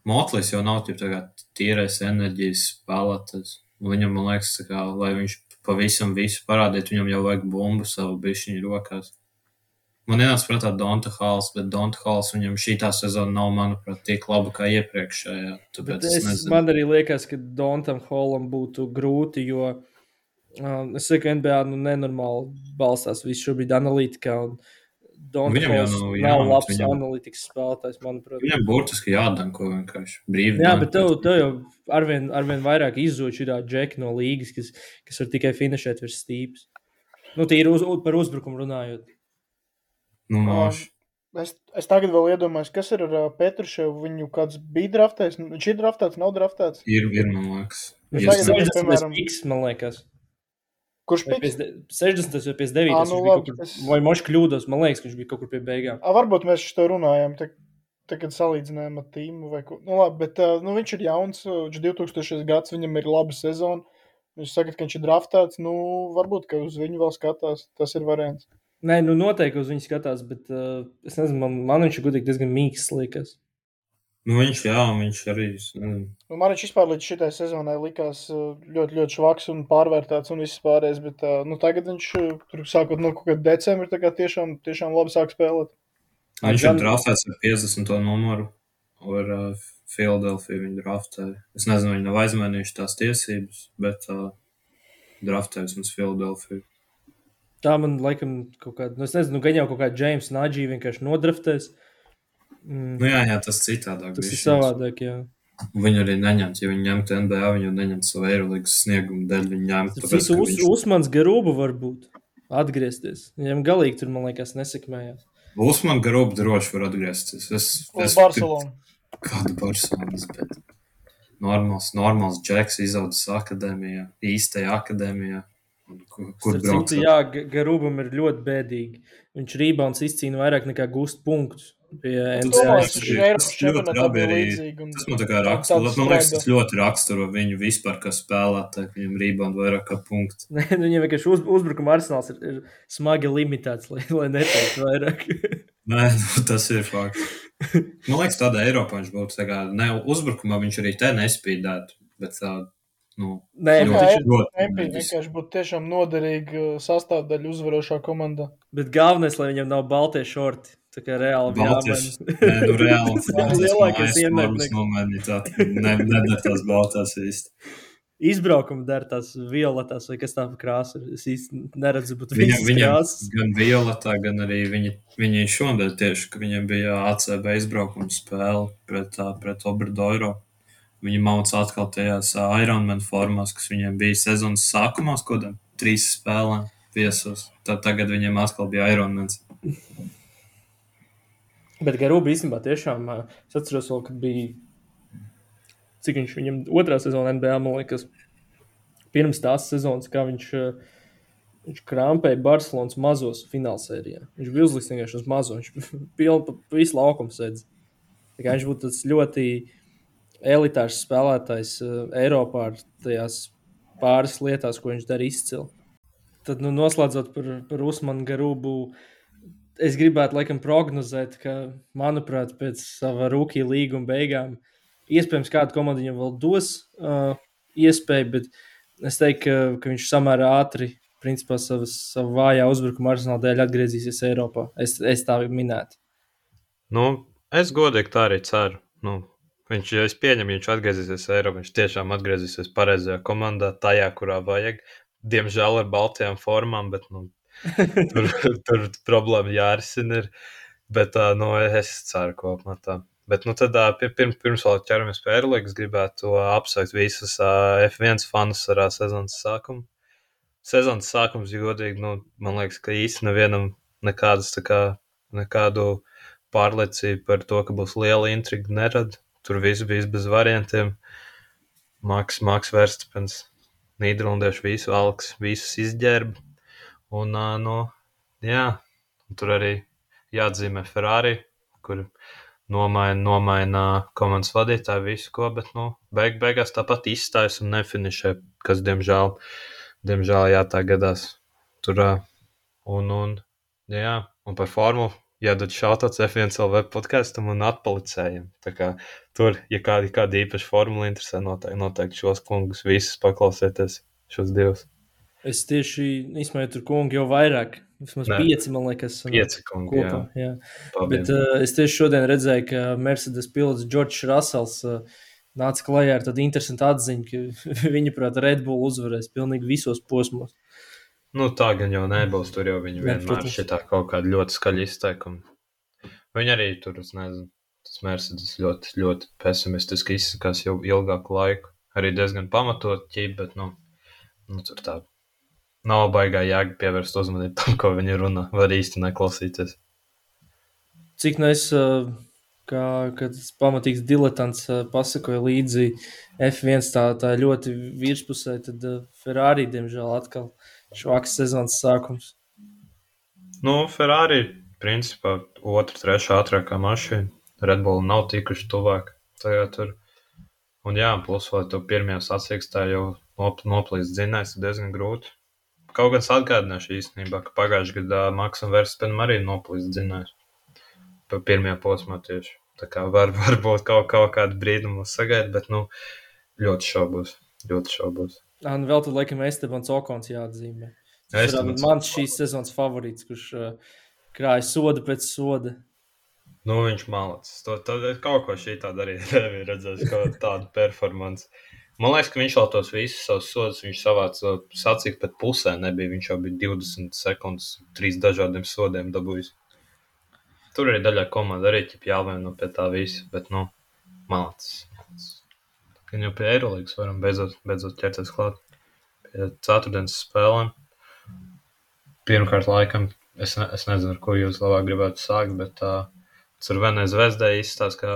S2: Motlīs jau nav tīrais enerģijas spēlētājs. Viņam, man liekas, lai viņš pavisam visu parādītu, viņam jau vajag bumbu savu bišķiņu rokās. Man ienāca prātā Donta Halls, bet Donta Halls viņam šitā sezona nav, manuprāt, tik laba kā iepriekšējā.
S1: Man arī liekas, ka Dontam Hallam būtu grūti, jo es saku, ka NBA nenormāli balstās visu šobrīd analītikā, un Donta Halls nav labs analītikas spēlētājs, manuprāt.
S2: Viņam burtiski jādanko vienkārši brīvi.
S1: Jā, bet tev jau arvien vairāk izzūd šitā džeki no līgas, kas var tikai finišēt virs stīpes. Tīri par uzbrukumu runājot.
S3: Es tagad vēl iedomājos, kas ir ar Petruševu, viņu kāds bija draftēts, viņš ir draftēts, nav draftēts?
S2: Ir, man liekas.
S1: Viņš 60 piks, man liekas.
S3: Kurš piks?
S1: 60 vai 59, vai moši kļūdos, man liekas, ka viņš bija kaut kur pie beigām.
S3: Varbūt mēs šo runājām, kad salīdzinājām ar tīmu vai ko. Labi, bet viņš ir jauns, viņš 2000 gads, viņam ir laba sezona. Viņš saka, ka viņš ir draftēts, varbūt, ka uz viņu vēl skatās, tas ir variants.
S1: Nē, noteikti uz viņu skatās, bet es nezinu, man viņš ir gudīgi diezgan mīksts, liekas.
S2: Viņš arī.
S3: Man viņš vispār līdz šitai sezonai likās ļoti, ļoti švaks un pārvērtāts un viss pārējais, bet tagad viņš, sākot no kaut kāda decembra, tā kā tiešām labi sāk spēlēt.
S2: Viņš ir draftēts ar 50. numuru, ar Philadelphia viņu draftēja. Es nezinu, viņi nav aizmainījuši tās tiesības, bet draftējas mums Philadelphia.
S1: Tā man laikam kaut kāda, es nezinu, gan jau kaut kāda James Nagy vienkārši nodraftēs.
S2: Jā, tas citādāk.
S1: Tas ir savādāk, jā.
S2: Viņi arī neņemt, ja viņi ņemtu NBA, viņi neņemt savu Eirolīgas sniegumu dēļ, viņi ņemtu.
S1: Uzmans Garuba varbūt atgriezties. Viņam galīgi tur, man liekas, nesekmējās.
S2: Uzman Garuba droši var atgriezties.
S3: Uz Barcelonu.
S2: Kādu Barcelonas, bet normāls džeks izaudzis akadēmijā, īstajā akadēmijā. Kur brauc?
S1: Jā, Garubam ir ļoti bēdīgi. Viņš rebounds izcīna vairāk nekā gūst punktus pie NBA.
S2: Tas man tā kā raksturo. Man liekas, tas ļoti raksturo viņu vispār, kā spēlētāji, ka viņam rebound vairāk kā punkts.
S1: Viņam vienkārši uzbrukuma arsenāls ir smagi limitēts, lai neteiktu vairāk.
S2: Nē, tas ir fakts. Man liekas, tādā Eiropā viņš būtu tā kā, ne uzbrukumā viņš arī te nespīdētu, bet
S3: vienkārši būtu tiešām noderīga sastāvdaļa uzvarošā komandā.
S1: Bet galvenais, lai viņam nav baltie šorti. Tā kā reāli
S2: reāli
S1: lielākais ienaidnieks.
S2: Nedara tās baltās īsti.
S1: Izbraukuma dara tās violetās vai kas tā pa krāsa. Es īsti neredzu, bet viņas krāsas.
S2: Gan violetā, gan arī viņi šodien tieši, ka viņiem bija ACB izbraukuma spēle pret Obradoiro. viņi mauc atkal tajās Ironman formās, kas viņiem bija sezonas sākumā, kodam 3 spēlēm viesos. Tad tagad viņiem atkal bija Ironmans.
S1: Bet Garūba īstenībā tiešām, es atceros vēl, kad bija, cik viņš viņam otrā sezona NBA, man liekas, pirms tās sezonas, kā viņš krampēja Barcelonas mazos finālsērijā. Viņš bija uzliks vienkārši uz mazo, viņš pilnu pa visu laukumu sēdz. Tā kā viņš būtu tas ļoti elitārs spēlētājs Eiropā ar tajās pāris lietās, ko viņš dara izcili. Tad, noslēdzot par Usmanu Garūbu, es gribētu laikam prognozēt, ka, manuprāt, pēc sava rookie līguma beigām iespējams kāda komanda viņam vēl dos iespēju, bet es teiktu, ka viņš samērā ātri, principā, savu vājā uzbrukuma arsenāla dēļ atgriezīsies Eiropā. Es tā minētu.
S4: Es godīgi tā arī ceru. Viņš, ja es pieņemu, viņš atgriezīsies Eiropā, viņš tiešām atgriezīsies pareizajā komandā, tajā, kurā vajag. Diemžēl ar baltajām formām, bet tur problēma jārisina ir. Bet es ceru kopumā tā. Bet tad pirms vēl ķeramies pie Eurolīgas, gribētu apsveikt visus F1 fanus ar sezonas sākumu. Sezonas sākums, ja godīgi, man liekas, ka īsti nevienam nekādu pārliecību par to, ka būs liela intriga nerada. Tur viss bija bez variantiem. Maks Verstapens, Nīderlandiešu visus izģērba. Un, tur arī jāatzīmē Ferrari, kur nomaina komandas vadītāju visu ko, bet, beigās tāpat izstājas un nefinišē, kas, diemžēl, tā gadās. Tur, un par formulu jādod šautāts F1 LV podkastam un atpalicējiem. Tā kā tur, ja kāda īpaša formula interesē, noteikti šos kungus visus paklausieties, šos divus.
S1: Es tieši izmēju tur kungu jau vairāk. Vismaz 5, man liekas.
S2: 5 kungi,
S1: kopā, jā. Bet es tieši šodien redzēju, ka Mercedes pilots Džordžs Rasels nāca klajā ar tādu interesantu atziņu, ka viņa prāt Red Bull uzvarēs pilnīgi visos posmos.
S4: Tā gan jau nebūs, tur jau viņi vienmēr šitā kaut kāda ļoti skaļa izteikuma. Viņi arī tur, es nezinu, tas Mercedes ļoti, ļoti pesimistiski izsakās jau ilgāku laiku. Arī diezgan pamatot ķīp, bet, tur tā nav baigā jēga pievērst uzmanību tam, ko viņi runā, var īsti neklausīties.
S1: Cik es, kad pamatīgs diletants pasakoja līdzi F1 tā ļoti virspusē, tad Ferrari, diemžēl, atkal švaks sezonas sākums.
S4: Ferrari, principā, 2, 3 ātrākā mašīna. Red Bull nav tikuši tuvāk tajā tur. Un plus vēl to pirmajā sacīkstā jau noplīst dzinējs, diezgan grūti. Kaut gan es atgādināšu īstenībā, ka pagājušajā gadā Maksam Verstapenam arī noplīst dzinējs. Pa pirmajā posmā tieši. Tā kā varbūt kaut kādu brīdi mums sagaida, bet, ļoti šaubos.
S1: Vēl tad, laikam, Estebans Okons jāatzīmē. Tas ir mans šīs sezonas favorīts, kurš krāja sodu pēc soda.
S4: Viņš malacis. Tad kaut ko šī tāda arī nebija redzējis, kaut tādu performanci. Man liekas, ka viņš vēl tos visus savus sodus, viņš savāca sacīk pat pusē nebija. Viņš jau bija 20 sekundes, 3 dažādiem sodiem dabūjis. Tur arī daļā komanda arī jāvieno pie tā visa, bet, malacis. Gan jau pie Eirolīgas varam beidzot ķerties klāt. Pie ceturtdienas spēlēm. Pirmkārt, laikam, es nezinu, ar ko jūs labāk gribētu sākt, bet Crvenai Zvezdai izstāsta, ka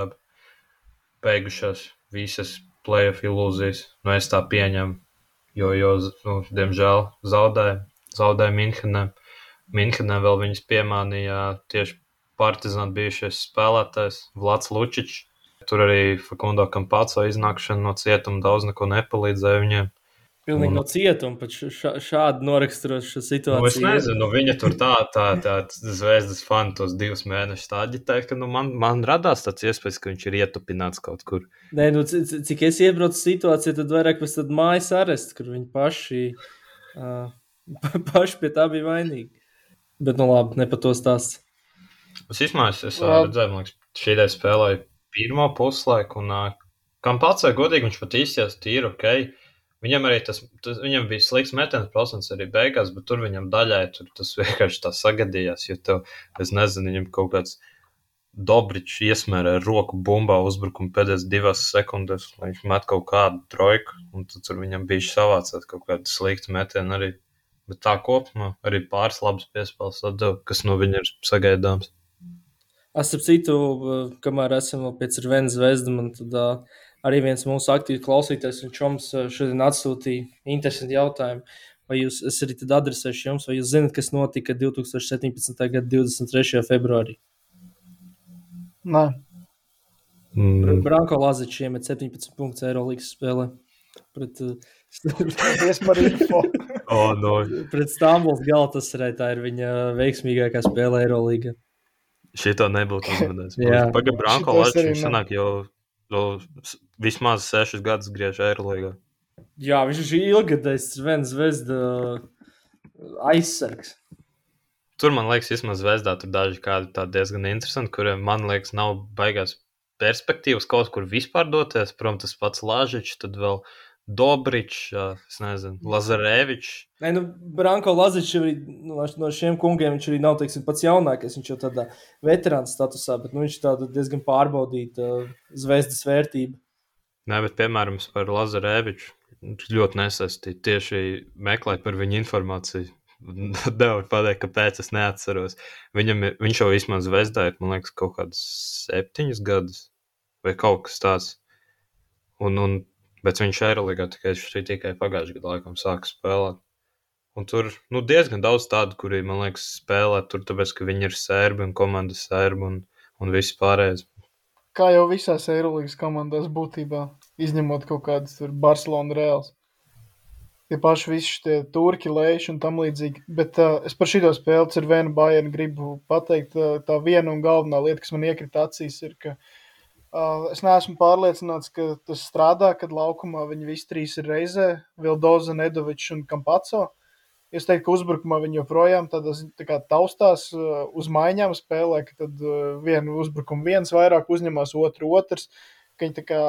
S4: beigušās visas playoff ilūzijas. Es tā pieņemu, jo diemžēl zaudēja Minhenē. Minhenē vēl viņas piemānīja tieši Partizāna bijušais spēlētājs Vlads Lučičs. Tur arī Facundo Campazzo iznākšana no cietuma daudz neko nepalīdzēja viņiem.
S1: Pilnīgi no cietuma, pat šādi noraksturošu situāciju.
S4: Es nezinu, viņa tur tā Zvezdas fani tos 2 mēnešus tā aģitēja, ka man radās tāds iespējas, ka viņš ir ietupināts kaut kur.
S1: Nē, cik es iebraucu situāciju, tad vairāk pēc tad mājas arests, kur viņi paši pie tā bija vainīgi. Bet, labi, ne par to stāsts.
S4: Es redzēju, man liekas, šī ideja spēlēja pirmo puslaiku, un Campazzo godīgi viņš pat izties tīri ok. Viņam arī viņam bija slikts metiens procents arī beigās, bet tur viņam daļai tas vienkārši tā sagadījās, jo es nezinu, viņam kaut kāds Dobričs iesmērē roku bumbā uzbrukumu pēdējās 2 sekundēs, lai viņš met kaut kādu trojku, un tad tur viņam bija savācēt kaut kādu sliktu metienu arī. Bet tā kopumā arī pāris labas piespēles atdeva, kas no viņa ir sagaidāms.
S1: Es ap citu, kamēr esam vēl pie Cervenas zvezda, man tad arī viens mūsu aktīvi klausītājs un čoms šodien atsūtīja interesanti jautājumu. Vai jūs, es arī tad adresēšu jums, vai jūs zinat, kas notika 2017. gada 23. februārī?
S3: Nē,
S1: Branko Lazičs iemet 17 punktus Eirolīgas spēlē pret,
S3: paldies par info.
S4: No.
S1: pret Stambuls Galatasaray. Tā ir viņa veiksmīgākā spēle Eirolīgā.
S4: Šito nebūtu uzmanējis.
S1: Jā.
S4: Pagaid, Branko
S3: Šito es arī
S4: Lazičs sanāk jau vismaz 6 gadus griež Eirolīgā.
S1: Jā, viņš ir ilgadējs Cervenas zvezda aizsargs.
S4: Tur, man liekas, vismaz zvezdā tur daži kādi tādi diezgan interesanti, kuriem, man liekas, nav baigās perspektīvas kaut kur vispār doties. Protams, tas pats Lažičs, tad vēl Dobričs, es nezinu, Lazarevičs.
S1: Nē, Branko Lazičs arī no šiem kungiem viņš arī nav, teiksim, pats jaunākais. Viņš jau tādā veterāna statusā, bet viņš tāda diezgan pārbaudīta zvezdas vērtība.
S4: Nē, bet, piemēram, par Lazareviču ļoti nesaistīti. Tieši meklēt par viņu informāciju. Nevar pateikt, kāpēc es neatceros. Viņš jau vismaz zvezdā ir, man liekas, kaut kādas 7 gadus vai kaut kas tāds. Bet viņš Eirolīgā tikai pagājušajā gadā laikam sāka spēlēt. Un tur diezgan daudz tādu, kuri, man liekas, spēlē tur, tāpēc, ka viņi ir sērbi un komandas sērbi un viss pārējais.
S3: Kā jau visās Eirolīgas komandās būtībā, izņemot kaut kādas tur Barcelona Reāls. Tie paši visi tie turki, lēši un tam līdzīgi. Bet es par šito spēli Cervena Bayern gribu pateikt, tā viena un galvenā lieta, kas man iekrita acīs, ir, ka es neesmu pārliecināts, ka tas strādā, kad laukumā viņi visi 3 ir reizē, Vildoza, Nedovičs un Campazzo. Es teiktu, ka uzbrukumā viņi joprojām tā kā taustās uz maiņām spēlē, ka tad vienu uzbrukumu viens vairāk uzņemās, otrs, ka viņi tā kā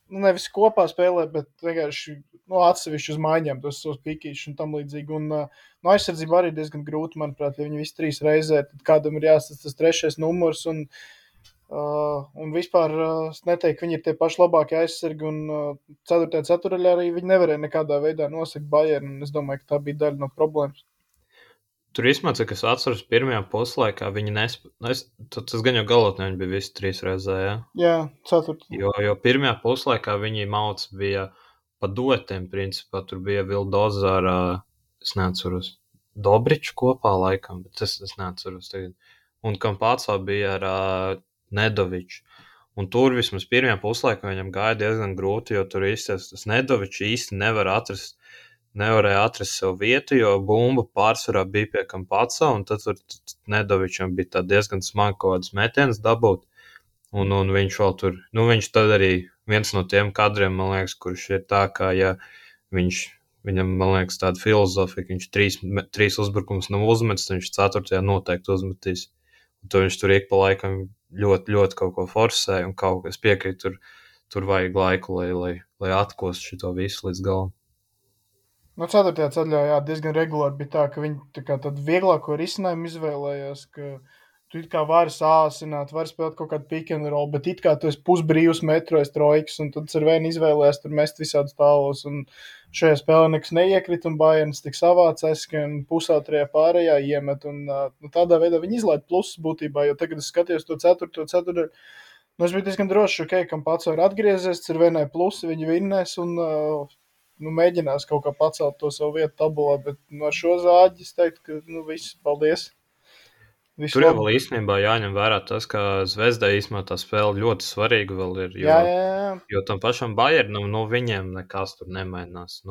S3: nevis kopā spēlē, bet vienkārši atsevišķi uz maiņām tos savus pikīšus un tam līdzīgi. Un no aizsardzība arī diezgan grūti, manuprāt, ja viņi visi 3 reizē, tad kādam ir jāstāsta tas 3. numurs. Un vispār es neteiktu, ka viņi ir tie paši labākie aizsargi. Un 4. ceturdaļā arī viņi nevarēja nekādā veidā nosakt Bayern. Un es domāju, ka tā bija daļa no problēmas.
S4: Tur īstenībā, cik es atceros, pirmajā puslaikā viņi nespēja. Tas gan jau galotnē viņi bija visi 3 reizē, ja?
S3: Jā, 4.
S4: Jo pirmajā puslaikā viņi mauc bija pa duetiem, principā. Tur bija Vildoza ar, es neatceros, Dobriču kopā laikam, bet es neatceros tagad. Un Campazzo bija ar Nedoviču. Un tur vismaz pirmajā puslaikā viņam gāja diezgan grūti, jo tur īstais tas Nedovičs īsti nevarēja atrast sev vietu, jo bumba pārsvarā bija pie Campazzo, un tad Nedovičam bija tā diezgan smagi kaut kādas metienas dabūt. Un viņš vēl tur, viņš tad arī viens no tiem kadriem, man liekas, kurš ir tā, kā ja viņam, man liekas, tāda filozofija, ka viņš 3 uzbrukumus nav uzmetis, viņš 4. noteikti uzmetīs. Un to viņš tur ik pa laikam ļoti, ļoti kaut ko forsē, un kaut kas piekrīt, tur vajag laiku, lai atkost šito visu līdz galam.
S3: No 4. ceļā diezgan regulāri bija tā, ka viņi tādu vieglāko risinājumu izvēlējās, ka tu it kā vari sāsināt, vari spēlēt kaut kādu pick and roll, bet it kā tu esi pusbrīvs metrojas trojkas, un tad Cervena izvēlējās tur mest visādus tālos, un šajā spēlē nekas neiekrita, un Bayerns tik savācās, ka pusautrajā pārējā iemet, un tādā veidā viņi izlaid plusus būtībā, jo tagad es skatījos to 4. Es biju diezgan drošs, ka Campazzo ir atgriezies, Cervenai plusi, viņi vinnēs, un mēģinās kaut kā pacelt to savu vietu tabulā, bet ar šo zāģi es teiktu, ka viss, paldies. Visu
S4: Tur jau
S3: labu.
S4: vēl īstenībā jāņem vērā tas, ka Zvezdai īstenībā tā spēle ļoti svarīga vēl ir,
S3: Jā.
S4: jo tam pašam Bayernam, viņiem nekas tur nemainās.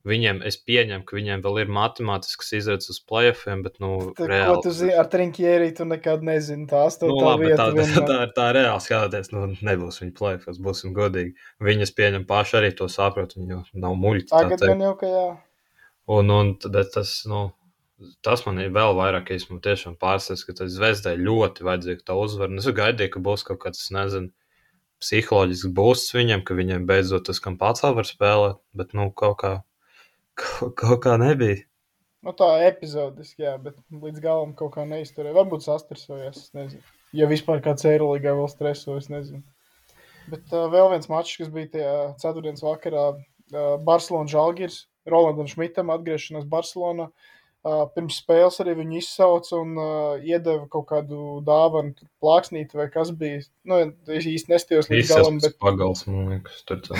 S4: Viņiem, es pieņemu, ka viņiem vēl ir matemātiskas izredzes uz playoffiem, bet, reāli.
S3: Ko tu zini, ar Trinkieri tu nekad nezini, tā 8.
S4: Labi,
S3: vieta.
S4: tā reāli skatoties, nebūs viņa playoffs, būsim godīgi. Viņas pieņem paši arī to saprot, viņi jau nav muļķi.
S3: Tagad gan jau, ka jā.
S4: Un tas man ir vēl vairāk, esmu tiešām pārsteigts, ka tas Zvezdai ļoti vajadzīga tā uzvara. Es gaidīju, ka būs kaut kāds, nezinu, psiholoģisks būsts viņiem, ka viņiem beidzot tas Campazzo var spēlēt, bet, kaut kā nebija.
S3: Tā epizodiski, jā, bet līdz galam kaut kā neizturēja. Varbūt sastresojās, es nezinu. Ja vispār kāds Eirolīgā vēl streso, es nezinu. Bet vēl viens mačs, kas bija tajā ceturtdienas vakarā, Barcelona Žalgiris, Rolandam Šmitam atgriešanās Barcelonā. Pirms spēles arī viņu izsauca un iedeva kaut kādu dāvanu, plāksnīti vai kas bija. Nu, es īsti nestījos līdz galam, bet...
S4: Pagals, man liekas, tur tā.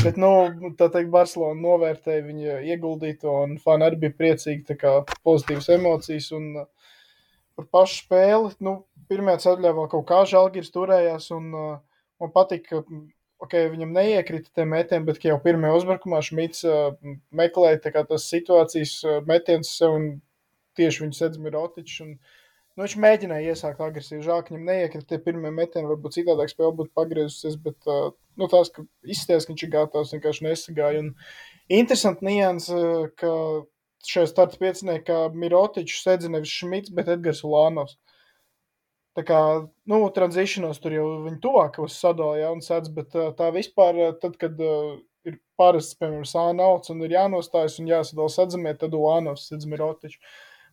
S3: Bet, nu, tā teikt, Barcelona novērtēja viņa ieguldīto un fani arī bija priecīgi, tā kā pozitīvas emocijas un par pašu spēli. Nu, pirmajā ceļā vēl kaut kā Žalgiris turējās un man patīk, ka viņam neiekrita tie metieni, bet jau pirmajā uzbrukumā Šmits meklēja tā kā tas situācijas metiens sev un tieši viņu sedz Mirotičs. Un, nu, viņš mēģināja iesākt agresīvi. Žēl, ka viņam neiekrita tie pirmie metieni, varbūt citādāk spēle būtu pagriezusies, bet nu, tās, ka izsties, ka viņš ir gatavs, vienkārši nesagāja. Un interesanti nians, ka šajā starta pieciniekā Mirotičs sedz nevis Šmits, bet Edgars Ulānovs. Tā kā, nu, transitionos tur jau viņi tuvākos sadala, ja, un sēdz, bet tā vispār, tad, kad ir parasts, piemēram, sānauts un ir jānostājas un jāsadala sedzamie, tad Ulānovs sedz Mirotiču.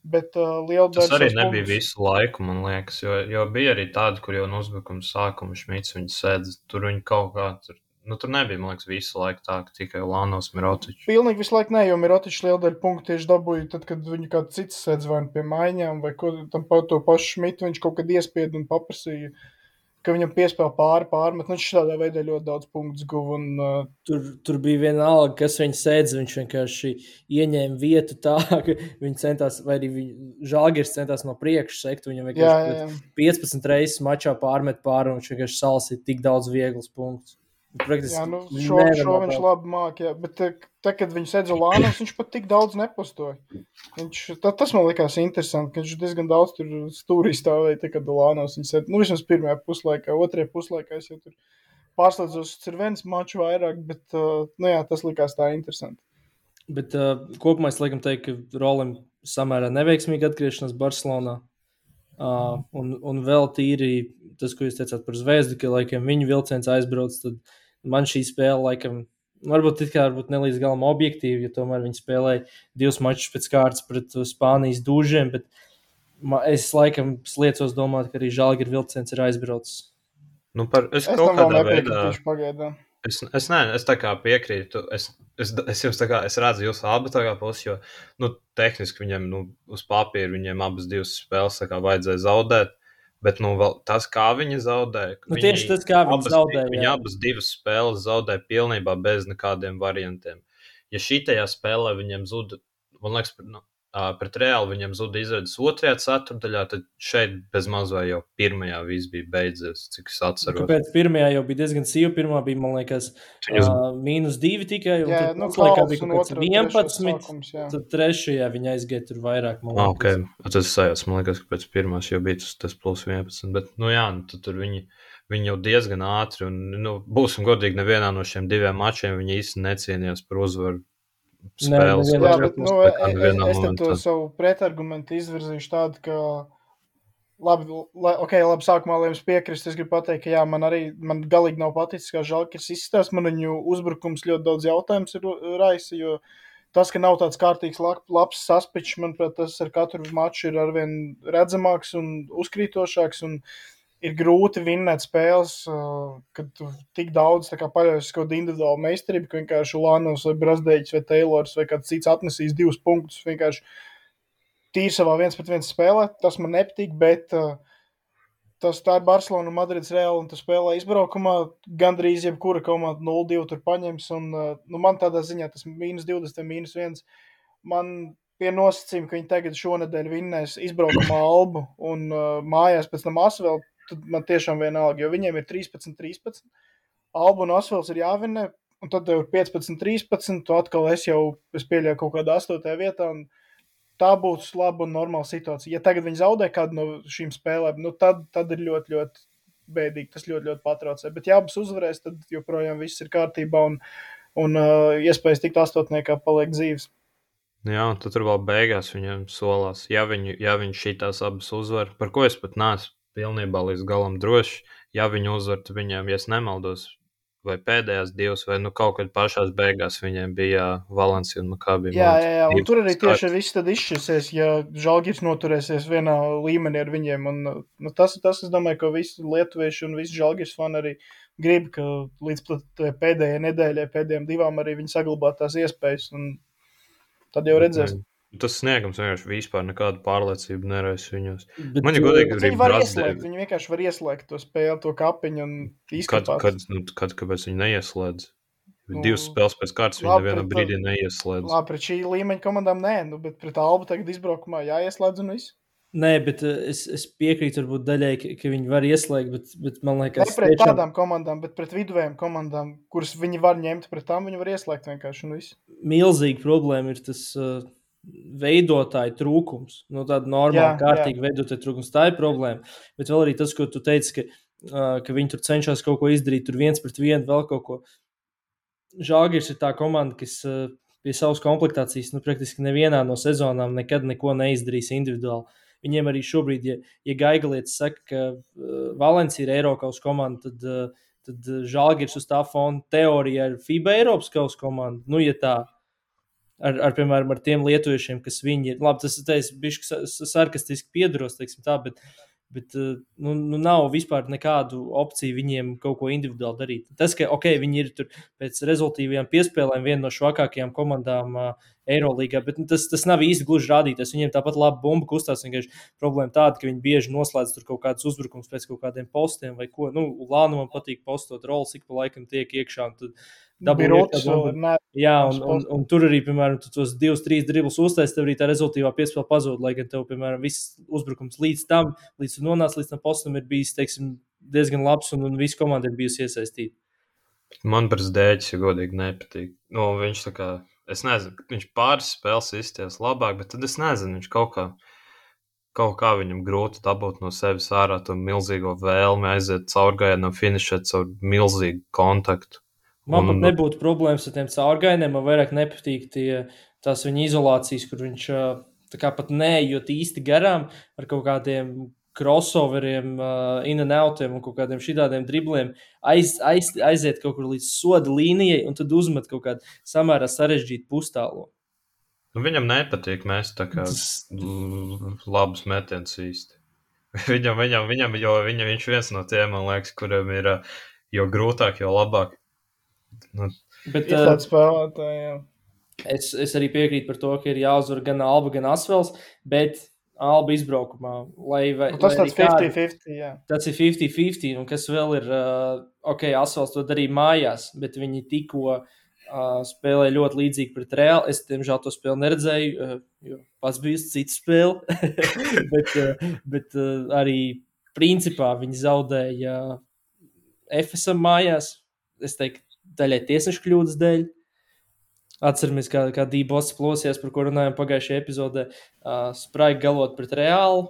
S3: Bet liela daļa...
S4: Tas arī nebija visu laiku, man liekas, jo bija arī tādi, kur jau no uzbrukuma sākuma Šmits viņu sēdz, tur viņi kaut kā, tur nebija, man liekas, visu laiku tā, ka tikai Ulānovs Mirotičs.
S3: Pilnīgi visu laiku ne, jo Mirotičs liela daļa punktu tieši dabūja tad, kad viņu kāds cits sēdz vai pie maiņām, vai ko, tam to pašu Šmitu viņš kaut kad iespied un paprasīja, ka viņam piespēl pārmet. Viņš tādā veidā ļoti daudz punktus guva.
S1: Tur bija vienalga, kas viņu sēdz, viņš vienkārši ieņēma vietu tā, ka viņi centās, vai arī Žalgiris centās no priekšu sekt, viņam vienkārši 15 reizes mačā pārmet pāri, un viņš vienkārši salasīja tik daudz vieglas punktus.
S3: Jā, nu, šo viņš labi māk, jā, bet te, kad viņš sēdz Ulānovs, viņš pat tik daudz nepostoja. Tas man likās interesanti, ka viņš diezgan daudz tur stūrī stāvēja, te, kad Ulānovs viņš sēdz, nu, vismaz pirmajā puslaikā, otrajā puslaikā es jau tur pārslēdzos ar viens maču vairāk, bet, nu jā, tas likās tā interesanti.
S1: Bet kopumā es laikam teiktu, ka Rolim samērā neveiksmīgi atgriešanās Barcelonā. Un vēl tīri tas, ko jūs teicāt par Zvezdu, ka laikam viņu vilciens aizbrauc, tad man šī spēle laikam, varbūt nelīdz galam objektīvi, jo tomēr viņi spēlēja 2 mačus pēc kārtas pret Spānijas dūžiem, bet es laikam sliecos domāt, ka arī Žalgiris vilciens ir aizbraucis.
S4: Nu, es kaut kādā veidā... Es tā kā piekrītu, es jums tā kā, es redzu jūsu abu tā kā pusi, jo, nu, tehniski viņiem, nu, uz papīra viņiem abas 2 spēles tā kā vajadzēja zaudēt, bet, nu, vēl tas, kā viņi zaudēja.
S1: Nu, tieši tas, kā viņi zaudēja.
S4: Viņi abas 2 spēles zaudēja pilnībā bez nekādiem variantiem. Ja šitajā spēlē viņiem zuda, man liekas, pret Reāli viņam zuda izredzes 2. ceturdaļā, tad šeit bez maz vai jau pirmajā viss bija beidzies, cik es atceros.
S1: Kāpēc pirmajā jau bija diezgan sīva, pirmā bija, man liekas, -2 tikai, un
S3: jā,
S1: tad laikā bija kaut kāds 11, tad trešajā viņa aizgāja tur vairāk, man liekas.
S4: Ok, tas sajās, man liekas, ka pēc pirmās jau bija tas plus 11, bet, nu jā, tad tur viņi jau diezgan ātri, un, nu, būsim godīgi, nevienā no šiem 2 mačiem viņi īsti necienījās par uzvaru. Spēles,
S3: jā, bet, nu, es to savu pretargumentu izvirzīšu tādu, ka labi, sākumā, lai jums piekrist, es gribu pateikt, ka jā, man galīgi nav paticis, kā Žalgiris izskatās, man viņu uzbrukums ļoti daudz jautājums ir raisa, jo tas, ka nav tāds kārtīgs labs saspičs, manuprāt, tas ar katru maču ir arvien redzamāks un uzkrītošāks, un ir grūti vinnēt spēles, kad tu tik daudz paļaujas kaut kādu individuālu meistarību, ka vienkārši Ulānovs vai Brazdēģis vai Taylors vai kāds cits atnesīs 2 punktus vienkārši tīri savā 1-pret-1 spēlē. Tas man nepatīk, bet tā ir Barcelona un Madrids Reāli, un tu spēlē izbraukumā, gandrīz jebkura komanda 0-2 tur paņems, un nu, man tādā ziņā tas -20 vai -1, man pie nosacījuma, ka viņi tagad šonedēļ vinnēs izbraukumā Albu un mājās pēc tam Asvēl, tad man tiešām vienalga, jo viņiem ir 13-13, Alba un Asvels ir jāvinnē, un tad tev ir 15-13, tu atkal es pieļauju kaut kādā 8. vietā, un tā būs laba un normāla situācija. Ja tagad viņi zaudē kādu no šīm spēlēm, nu tad ir ļoti, ļoti bēdīgi, tas ļoti, ļoti patraucē. Bet ja abas uzvarēs, tad joprojām viss ir kārtībā, un iespējas tikt 8. paliek dzīves.
S4: Jā, un tad tur vēl beigās viņam solās, ja viņi šitās abas uzvar, par ko es pat neesmu pilnībā līdz galam droši, ja viņi uzvar, tad viņiem, ja es nemaldos, vai pēdējās divas, vai kaut kad pašās beigās viņiem bija Valencija un Maccabi.
S3: Jā, un tur arī tieši viss tad izšķirsies, ja Žalgiris noturēsies vienā līmenī ar viņiem. Un, tas, es domāju, ka visi lietuvieši un visi Žalgiris fani arī grib, ka līdz pēdējai nedēļai, pēdējām divām arī viņi saglabā tās iespējas, un tad jau redzēs.
S4: Tas sniegums vienkārši vispār nekādu pārliecību neraisa viņos.
S1: Bet,
S4: Man ir godīgi,
S3: viņi var ieslēgt, viņi vienkārši var ieslēgt to spēli, to kapiņu un izskatās.
S4: Kāpēc viņi neieslēdz? Divas spēles pēc kārtas viņi nevienā brīdī neieslēdz.
S3: Labi, pret šī līmeņa komandām nē, bet pret Albu tagad izbraukumā jāieslēdz un viss.
S1: Nē, bet es piekrītu varbūt daļai, ka viņi var ieslēgt, bet man liekas...
S3: Ne pret tādām komandām, bet pret viduvējām komandām, kuras viņi var ņemt pret tām, viņi var ieslēgt vienkārši un viss.
S1: Milzīga problēma ir tas veidotāju trūkums. Tāda normāla, kārtīga veidotāju trūkums. Tā ir problēma. Bet vēl arī tas, ko tu teici, ka viņi tur cenšas kaut ko izdarīt, tur 1-1, vēl kaut ko. Žalgiris ir tā komanda, kas pie savas komplektācijas, praktiski nevienā no sezonām nekad neko neizdarīs individuāli. Viņiem arī šobrīd, ja Gaigalietis saka, ka Valencija ir Eiropas komanda, tad Žalgiris uz tā fona teorija ir FIBA Eiropas kausa komanda. Ja tā, piemēram, ar tiem lietuviešiem, kas viņi ir. Labi, tas ir bišķi sarkastiski piedaros, teiksim tā, bet nav vispār nekādu opciju viņiem kaut ko individuāli darīt. Tas, ka, viņi ir tur pēc rezultīvajām piespēlēm viena no švakākajām komandām Eirolīgā, bet tas nav īsti gluži rādītājs. Viņiem tāpat labi bumba kustās, vienkārši problēma tāda, ka viņi bieži noslēdz tur kaut kādus uzbrukums pēc kaut kādiem postiem vai ko. Lānumam patīk postot rolas, ik pa laikam tiek iekšā un tad un tur arī, piemēram, tu tos 2-3 driblus uztaisi, tev arī tā rezultīvā piespēle pazūd, lai gan tev, piemēram, viss uzbrukums līdz tam postam ir bijis, teiksim, diezgan labs un visa komanda ir bijusi iesaistīta.
S4: Man par Zdēķis, ja godīgi, nepatīk. Viņš tā kā, es nezinu, viņš pāris spēles izties labāk, bet tad es nezinu, viņš kaut kā viņam grūti dabūt no sevis ārā to milzīgo vēlmi aiziet caurgājienam, finišēt caur milzīgu kontaktu.
S1: Man pat nebūtu problēmas ar tiem caurgājieniem, man vairāk nepatīk tās viņa izolācijas, kur viņš tā kā pat neejot īsti garām ar kaut kādiem crossoveriem, in and outiem un kaut kādiem šitādiem dribliem, aiziet kaut kur līdz soda līnijai un tad uzmet kaut kādu samērā sarežģītu pustālo.
S4: Viņam nepatīk mēs tā kā labus metienus īsti. Viņam, jo viņš viens no tiem, man liekas, kuriem ir jo grūtāk, jo labāk.
S1: Bet
S3: spēlētāji,
S1: es arī piekrītu par to, ka ir jāuzvar gan Alba, gan Asvels, bet Alba izbraukumā.
S3: Tas tāds 50-50, jā.
S1: Tas ir 50-50, un kas vēl ir, Asvels to darīja mājās, bet viņi tikko spēlēja ļoti līdzīgi pret Reāli. Es, diemžēl, to spēli neredzēju, jo pats bija uz citu spēli, bet arī principā viņi zaudēja Efesam mājās. Es teiktu, daļai tiesnešu kļūdas dēļ. Atceramies, kā Dībos plosījās, par ko runājām pagājušajā epizodē. Spraigi galot pret Reāli.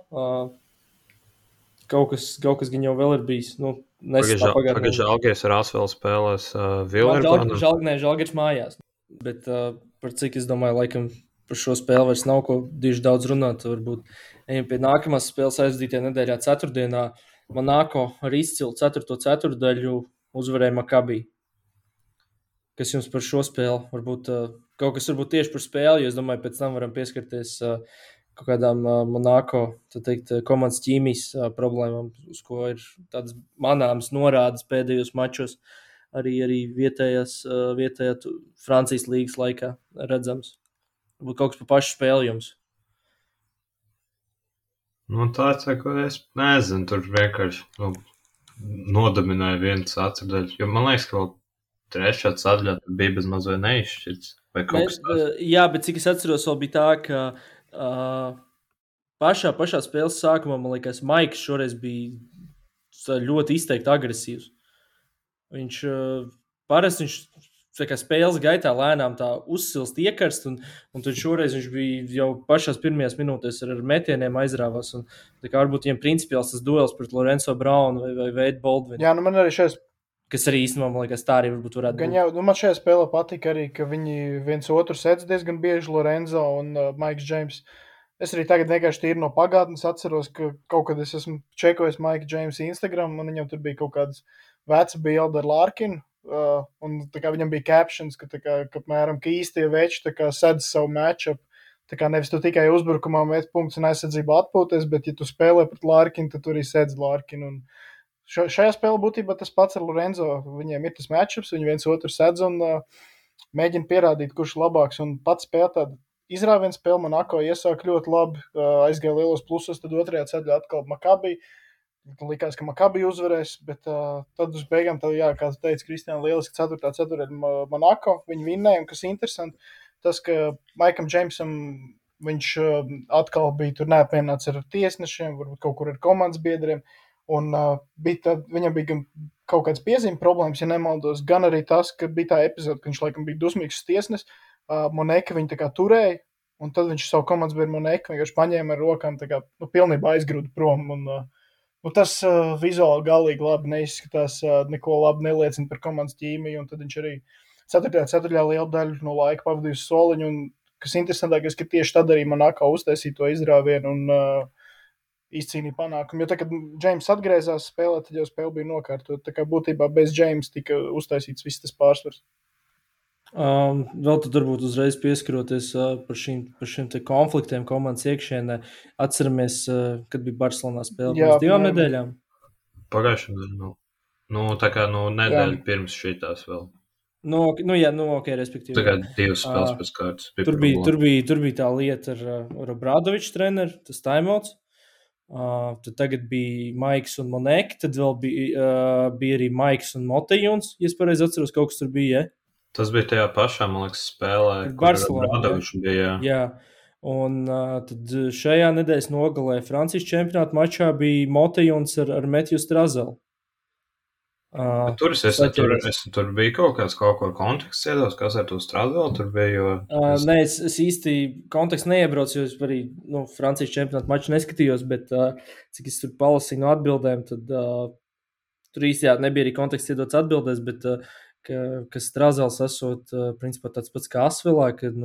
S1: Kaut kas gan jau vēl ir bijis.
S4: Pagājušajā Žalgiris ar Asvelu spēlēs Vilniņu.
S1: Žalgiris mājās. Bet par cik es domāju, laikam par šo spēli vairs nav ko diži daudz runāt. Varbūt ejam pie nākamās spēles aizdītajā nedēļā ceturtdienā. Monako ar izcilu 4. ceturtdaļu uzvarēja Maccabi. Kas jums par šo spēli? Varbūt kaut kas varbūt tieši par spēli, jo es domāju, pēc tam varam pieskarties kaut kādām Monako, tā teikt, komandas ķīmijas problēmām, uz ko ir tādas manāmas norādes pēdējos mačos, arī vietējā Francijas līgas laikā redzams. Varbūt kaut kas par pašu spēli jums?
S4: Ko es nezinu, tur vienkārši nodominēja vienu ceturtdaļu, jo man liekas, ka vēl trešā ceturtdaļā bija bez maz vai neizšķirts.
S1: Jā, bet cik es atceros, vēl bija tā, ka pašā spēles sākumā, man liekas, Maiks šoreiz bija ļoti izteikti agresīvs. Viņš parasti spēles gaitā lēnām tā uzsilst iekarst, un tad šoreiz viņš bija jau pašās pirmajās minūtēs ar metieniem aizrāvās. Un, tā kā varbūt viņiem principiāls tas duels pret Lorenzo Braunu vai Wade Baldwinu.
S3: Jā, man arī šeit.
S1: Kas arī īstenībā, man liekas, tā arī varētu būt.
S3: Jā, man šajā spēlē patika arī, ka viņi viens otru sedz diezgan bieži, Lorenzo un Maiks Džeims. Es arī tagad vienkārši tīri no pagātnes atceros, ka kaut kad es esmu čekojis Maika Džeimsa Instagram, un viņam tur bija kaut kādas veca bilde ar Larkinu, un tā kā viņam bija captions, ka, tā kā, ka, apmēram, ka īstie veči tā kā sedz savu matchup. Tā kā nevis tu tikai uzbrukumā met punktus un aizsardzību atpūties, bet, ja tu spēlē pret Larkinu, tad tu arī sedz Larkinu. Un šajā spēlē būtībā tas pats ar Lorenzo. Viņiem ir tas matchups, viņi viens otru sedz un mēģina pierādīt, kurš ir labāks. Un pats spēlē tādu izrāvienu spēli. Monako iesāk ļoti labi, aizgāja lielos plusos, tad otrajā ceļā atkal Maccabi. Likās, ka Maccabi uzvarēs, bet tad uz beigām, tad, jā, kā tu teici, Kristiāna, lieliski 4. ceturtā Monako. Viņi vinnēja, un kas interesanti, tas, ka Maikam Džeimsam viņš atkal bija tur neapvienots ar tiesnešiem, varbūt kaut kur ar komandas biedriem, un viņam bija gan kaut kāds piezīme problēmas, ja nemaldos, gan arī tas, ka bija tā epizode, ka viņš laikam bija dusmīgs tiesnes, Moneka viņu tā kā turēja, un tad viņš savu komandas biedru Moneku vienkārši paņēma ar rokām, tā kā pilnībā aizgrūda prom, un tas vizuāli galīgi labi neizskatās, neko labi neliecina par komandas ķīmiju, un tad viņš arī 4. lielu daļu no laika pavadīja uz soliņu, un kas interesantākais, ka tieši tad arī Monako uztaisīja to izrāvienu un izcīnīja panākumu. Jo tā, kad Džeims atgriezās spēlē, tad jau spēle bija nokārtot. Tā kā būtībā bez Džeims tika uztaisīts viss tas pārsvars.
S1: Vēl tad varbūt uzreiz pieskaroties par šiem te konfliktiem komandas iekšienē. Atceramies, kad bija Barcelonā spēle pirms 2 nedēļām.
S4: Pagājušajā nedēļā. Tā kā nedēļa pirms šitās vēl.
S1: Ok, respektīvi.
S4: Tagad 2 spēles pēc kārtas.
S1: Tur bija tā lieta ar Obradoviču treneru, tas timeouts. Tad tagad bija Maiks un Moneki, tad vēl bija arī Maiks un Motejuns, ja es pareizi atceros, kaut kas tur bija, ja?
S4: Tas bija tajā pašā, man liekas, spēlē, kur Obradoviču bija.
S1: Jā, un tad šajā nedēļas nogalē Francijas čempionāta mačā bija Motejuns ar Metju Strazelu.
S4: Tur bija kaut ko konteksts iedos, kas ar to Strazelu tur bija, jo...
S1: Nē, es īsti kontekstu neiebraucu, jo es arī Francijas čempionāta maču neskatījos, bet cik es tur palasīju no atbildēm, tad tur īsti nebija arī konteksts iedots atbildēs, bet ka Strazels esot principā tāds pats kā Asvelā, kad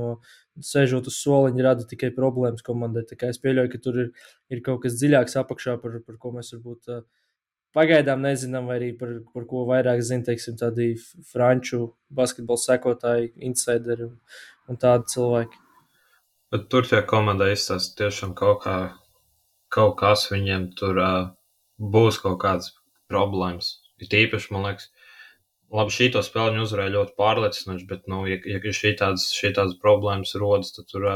S1: sēžot uz soliņa rada tikai problēmas komandai. Tā kā es pieļauju, ka tur ir kaut kas dziļāks apakšā, par ko mēs varbūt pagaidām nezinām, vai arī par ko vairāk zina, teiksim, tādi franču basketbola sekotāji, insideri un tādi cilvēki.
S4: Bet tur tie komandai izstāsta tiešām kaut kas viņiem tur būs kaut kādas problēmas. Ir tīpaši, man liekas, labi, šīto spēli viņi uzvarēja ļoti pārliecinoši, bet, ja šī tādas problēmas rodas, tad tur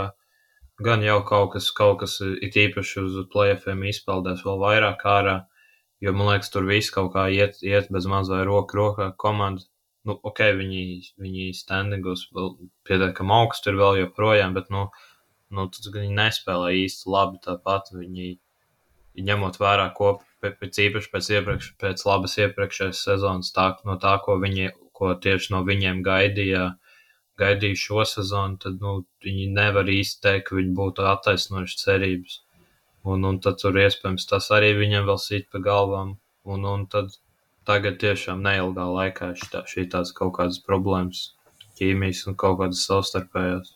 S4: gan jau kaut kas ir tīpaši uz play-offiem izpeldēs vēl vairāk ārā, jo, man liekas, tur viss kaut kā iet bez maz vai rokā komanda. Ok, viņi standingos vēl pietiekami augstu ir vēl joprojām, bet, tad viņi nespēlē īsti labi tāpat. Viņi ņemot vērā pēc labas iepriekšējās sezonas, ko tieši no viņiem gaidīja šo sezonu, tad viņi nevar īsti teikt, ka viņi būtu attaisnojuši cerības. Un tad tur iespējams tas arī viņiem vēl sit pa galvām. Un tad tagad tiešām neilgā laikā šīs kaut kādas problēmas, ķīmijas un kaut kādas savstarpējās.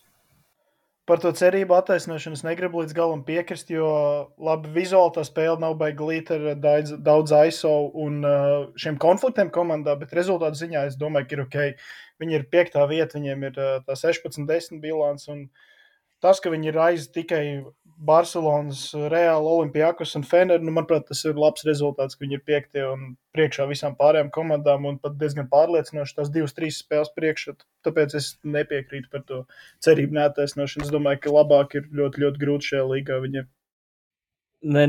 S3: Par to cerību attaisnošanu es negribu līdz galam piekrist, jo labi vizuāli tā spēle nav baigi glīta ar daudz ISO un šiem konfliktiem komandā, bet rezultātu ziņā es domāju, ka ir ok. Viņi ir 5. vieta, viņiem ir tā 16-10 bilants, un tas, ka viņi ir aiz tikai Barcelonas, Real, Olympiakos un Fener, manuprāt, tas ir labs rezultāts, ka viņi ir 5. un priekšā visām pārējām komandām un pat diezgan pārliecinoši tās 2-3 spēles priekšā. Tāpēc es nepiekrītu par to cerību neattaisnošanu. Es domāju, ka labāk ir ļoti, ļoti grūti šajā līgā viņiem.
S1: Nē,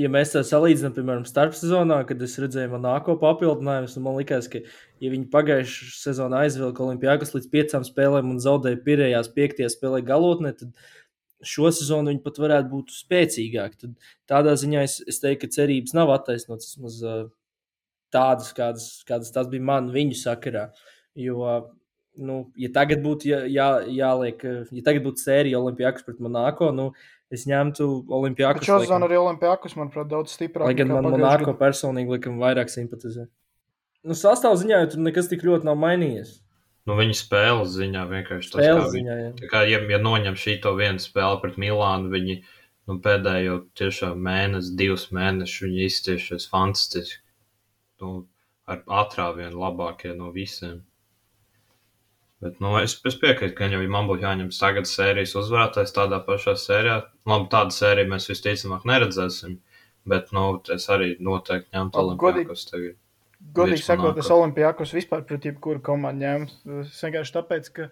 S1: ja mēs tā salīdzinām, piemēram, starpsezonā, kad es redzēju Monako papildinājumus, man likās, ka, ja viņi pagājušajā sezonā aizvilka Olympiakos līdz 5 spēlēm un zaudēja pirējās 5. spēlē galotnē, tad šo sezonu viņi pat varētu būt spēcīgāki. Tad tādā ziņā es teiktu, ka cerības nav attaisnotas vismaz tādas, kādas tās bija viņu sakarā. Jo, ja tagad būtu jāliek, ja tagad būtu sērija Olympiakos pret Monako, es ņemtu Olympiakos.
S3: Šo sezonu arī Olympiakos, manuprāt, daudz stiprāk.
S1: Lai gan man Monako personīgi likam vairāk simpatizē. Sastāvziņā tur nekas tik ļoti nav mainījies.
S4: Viņa spēles ziņā vienkārši tas, tā kā, ja noņem šito vienu spēli pret Milānu, viņi pēdējo tiešām 2 mēnešus viņi iztiešies fantastiski. ar atrāvienu labākie no visiem. Bet, es piekrītu, ka jau man būtu jāņem tagad sērijas uzvarētājs tādā pašā sērijā. Labi, tādu sēriju mēs visticamāk neredzēsim, bet, es arī noteikti ņemtu Olimpiakos tagad.
S3: Godīgi sakot, es Olimpiakos vispār pret jebkuru komandu ņemtu. Es vienkārši tāpēc, ka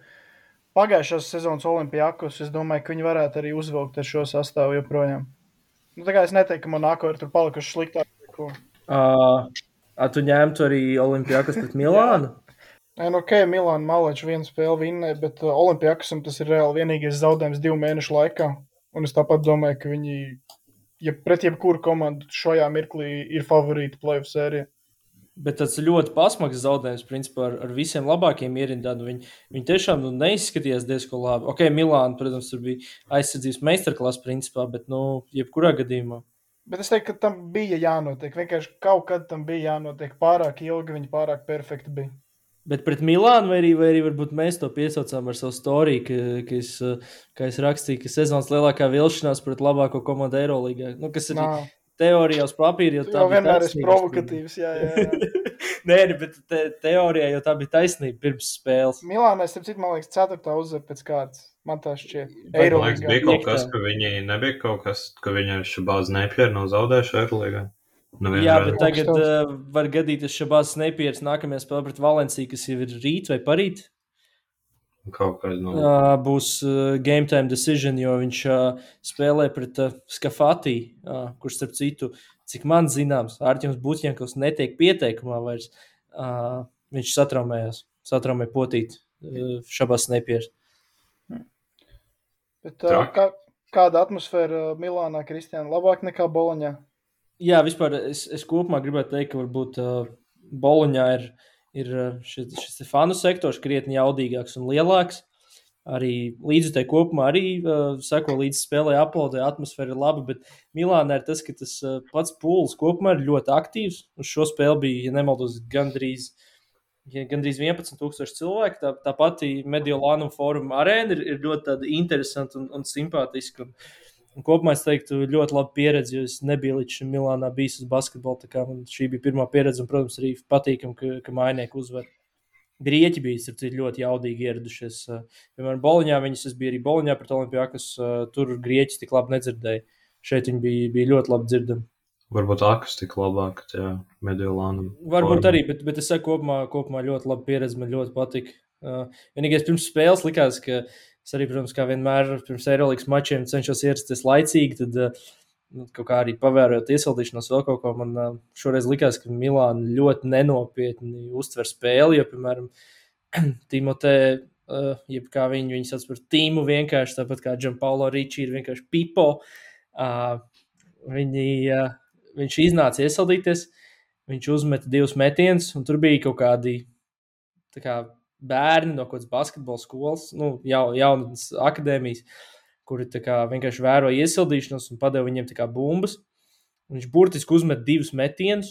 S3: pagājušās sezonas Olimpiakos, es domāju, ka viņi varētu arī uzvilkt ar šo sastāvu joprojām. Tā kā es neteiktu, ka Monako ir tur palikuši sliktāk.
S1: Tu ņemtu arī Olimpiakos pret Milānu?
S3: Milāna Maleča vienu spēli vinnē, bet Olimpiakosam tas ir reāli vienīgais zaudējums 2 mēnešu laikā. Un es tāpat domāju, ka viņi, pret jebkuru komandu šajā mirklī ir favorīti play-off sērijā.
S1: Bet tas ļoti pasmags zaudējums, principā, ar visiem labākiem ierindām. Viņi tiešām neizskatījās diezgan labi. Milāna, protams, tur bija aizsardzības meistarklasa principā, bet, jebkurā gadījumā.
S3: Bet es teiktu, ka tam bija jānotiek. Vienkārši kaut kad tam bija jānotiek. Pārāk ilgi viņi pārāk perfekti bija.
S1: Bet pret Milānu vai arī varbūt mēs to piesaucām ar savu storiju, ka es rakstīju, ka sezonas lielākā vilšanās pret labāko komandu Eirolīgā. Kas ir teorijā uz papīra, jo tā
S3: jau vienmēr ir provokatīvs. Jā.
S1: Nē, bet teorijā jau tā bija taisnība pirms spēles.
S3: Milānai, man liekas, 4. uzvar pēc kārtas. Man tā šķiet.
S4: Eirolīgā. Bija kaut kas, ka viņi nebija kaut kas, ka viņi Šabāz Nepjeri nav zaudējuši Eirolīgā.
S1: Jā, bet tagad var gadīties Šabāz Nepjeris nākamajā spēlē pret Valenciju, kas jau ir rīt vai parīt.
S4: Kaut kā
S1: būs game time decision, jo viņš spēlē pret Skafati, kurš, starp citu, cik man zināms, Ārķems Buķņakovs netiek pieteikumā vairs. Viņš satraumēja potīt Šabāz Nepjeris.
S3: Bet kāda atmosfēra Milānā, Kristiāna, labāk nekā Boloņā?
S1: Jā, vispār es kopumā gribētu teikt, ka varbūt Boloņā ir šis fanu sektors krietni jaudīgāks un lielāks. Arī līdzjutēji kopumā arī seko līdz spēlē, aplaudē, atmosfēra ir laba, bet Milānā ir tas, ka tas pats pūls kopumā ir ļoti aktīvs. Uz šo spēli bija, ja nemaldos, gandrīz 11,000 cilvēku. Tā pati Mediolānum fóruma arēna ir ļoti tāda interesanta un simpātiska. Un kopumā es teiktu, ļoti laba pieredze, jo es nebiju līdz šim Milānā bijis uz basketbolu. Tā kā man šī bija pirmā pieredze, un, protams, arī patīkam, ka mainieku uzvar. Grieķi bija ļoti jaudīgi ieradušies. Piemēram, Boloņā es biju arī Boloņā pret Olimpiakos, tur grieķis tik labi nedzirdēja. Šeit viņi bija ļoti labi dzirdami.
S4: Varbūt akustika labāk, jā, Mediolānam.
S1: Varbūt arī, bet es saku kopumā ļoti laba pieredze, man ļoti patika. Vienīgais pirms spēles likās, ka es arī, protams, kā vienmēr pirms Eirolīgas mačiem cenšos ierasties laicīgi, tad kaut kā arī pavērojot iesildīšanos vēl kaut ko, man šoreiz likās, ka Milāna ļoti nenopietni uztver spēli, jo, piemēram, Timotē, jeb kā viņi sauc par tīmu vienkārši, tāpat kā Gianpaolo Ricci ir vienkārši pipo, viņš iznāca iesildīties, viņš uzmeta 2 metienus, un tur bija kaut kādi tā kā bērni no kaut kādas basketbola skolas, jaunas akadēmijas, kuri tā kā vienkārši vēroja iesildīšanos un padeva viņiem tā kā bumbas. Viņš burtiski uzmet 2 metienus,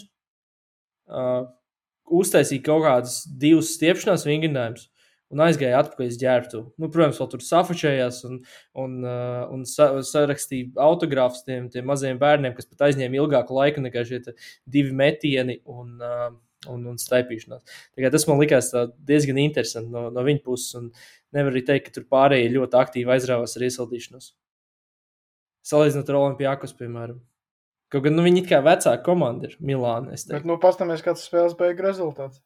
S1: uztaisīja kaut kādas 2 stiepšanās vingrinājumus un aizgāja atpakaļ uz ģērbtuvi. Protams, vēl tur safačējās un sarakstīja autogrāfus tiem mazajiem bērniem, kas pat aizņēma ilgāku laiku nekā šie 2 metieni un staipīšanās. Tas man likās diezgan interesanti no viņa puses, un nevar arī teikt, ka tur pārējie ļoti aktīvi aizrāvās ar iesildīšanos. Salīdzinot ar Olimpiakos, piemēram. Kaut gan viņi it kā vecāka komanda ir Milāna.
S3: Bet pastāmies, kāds spēles beigu rezultāts.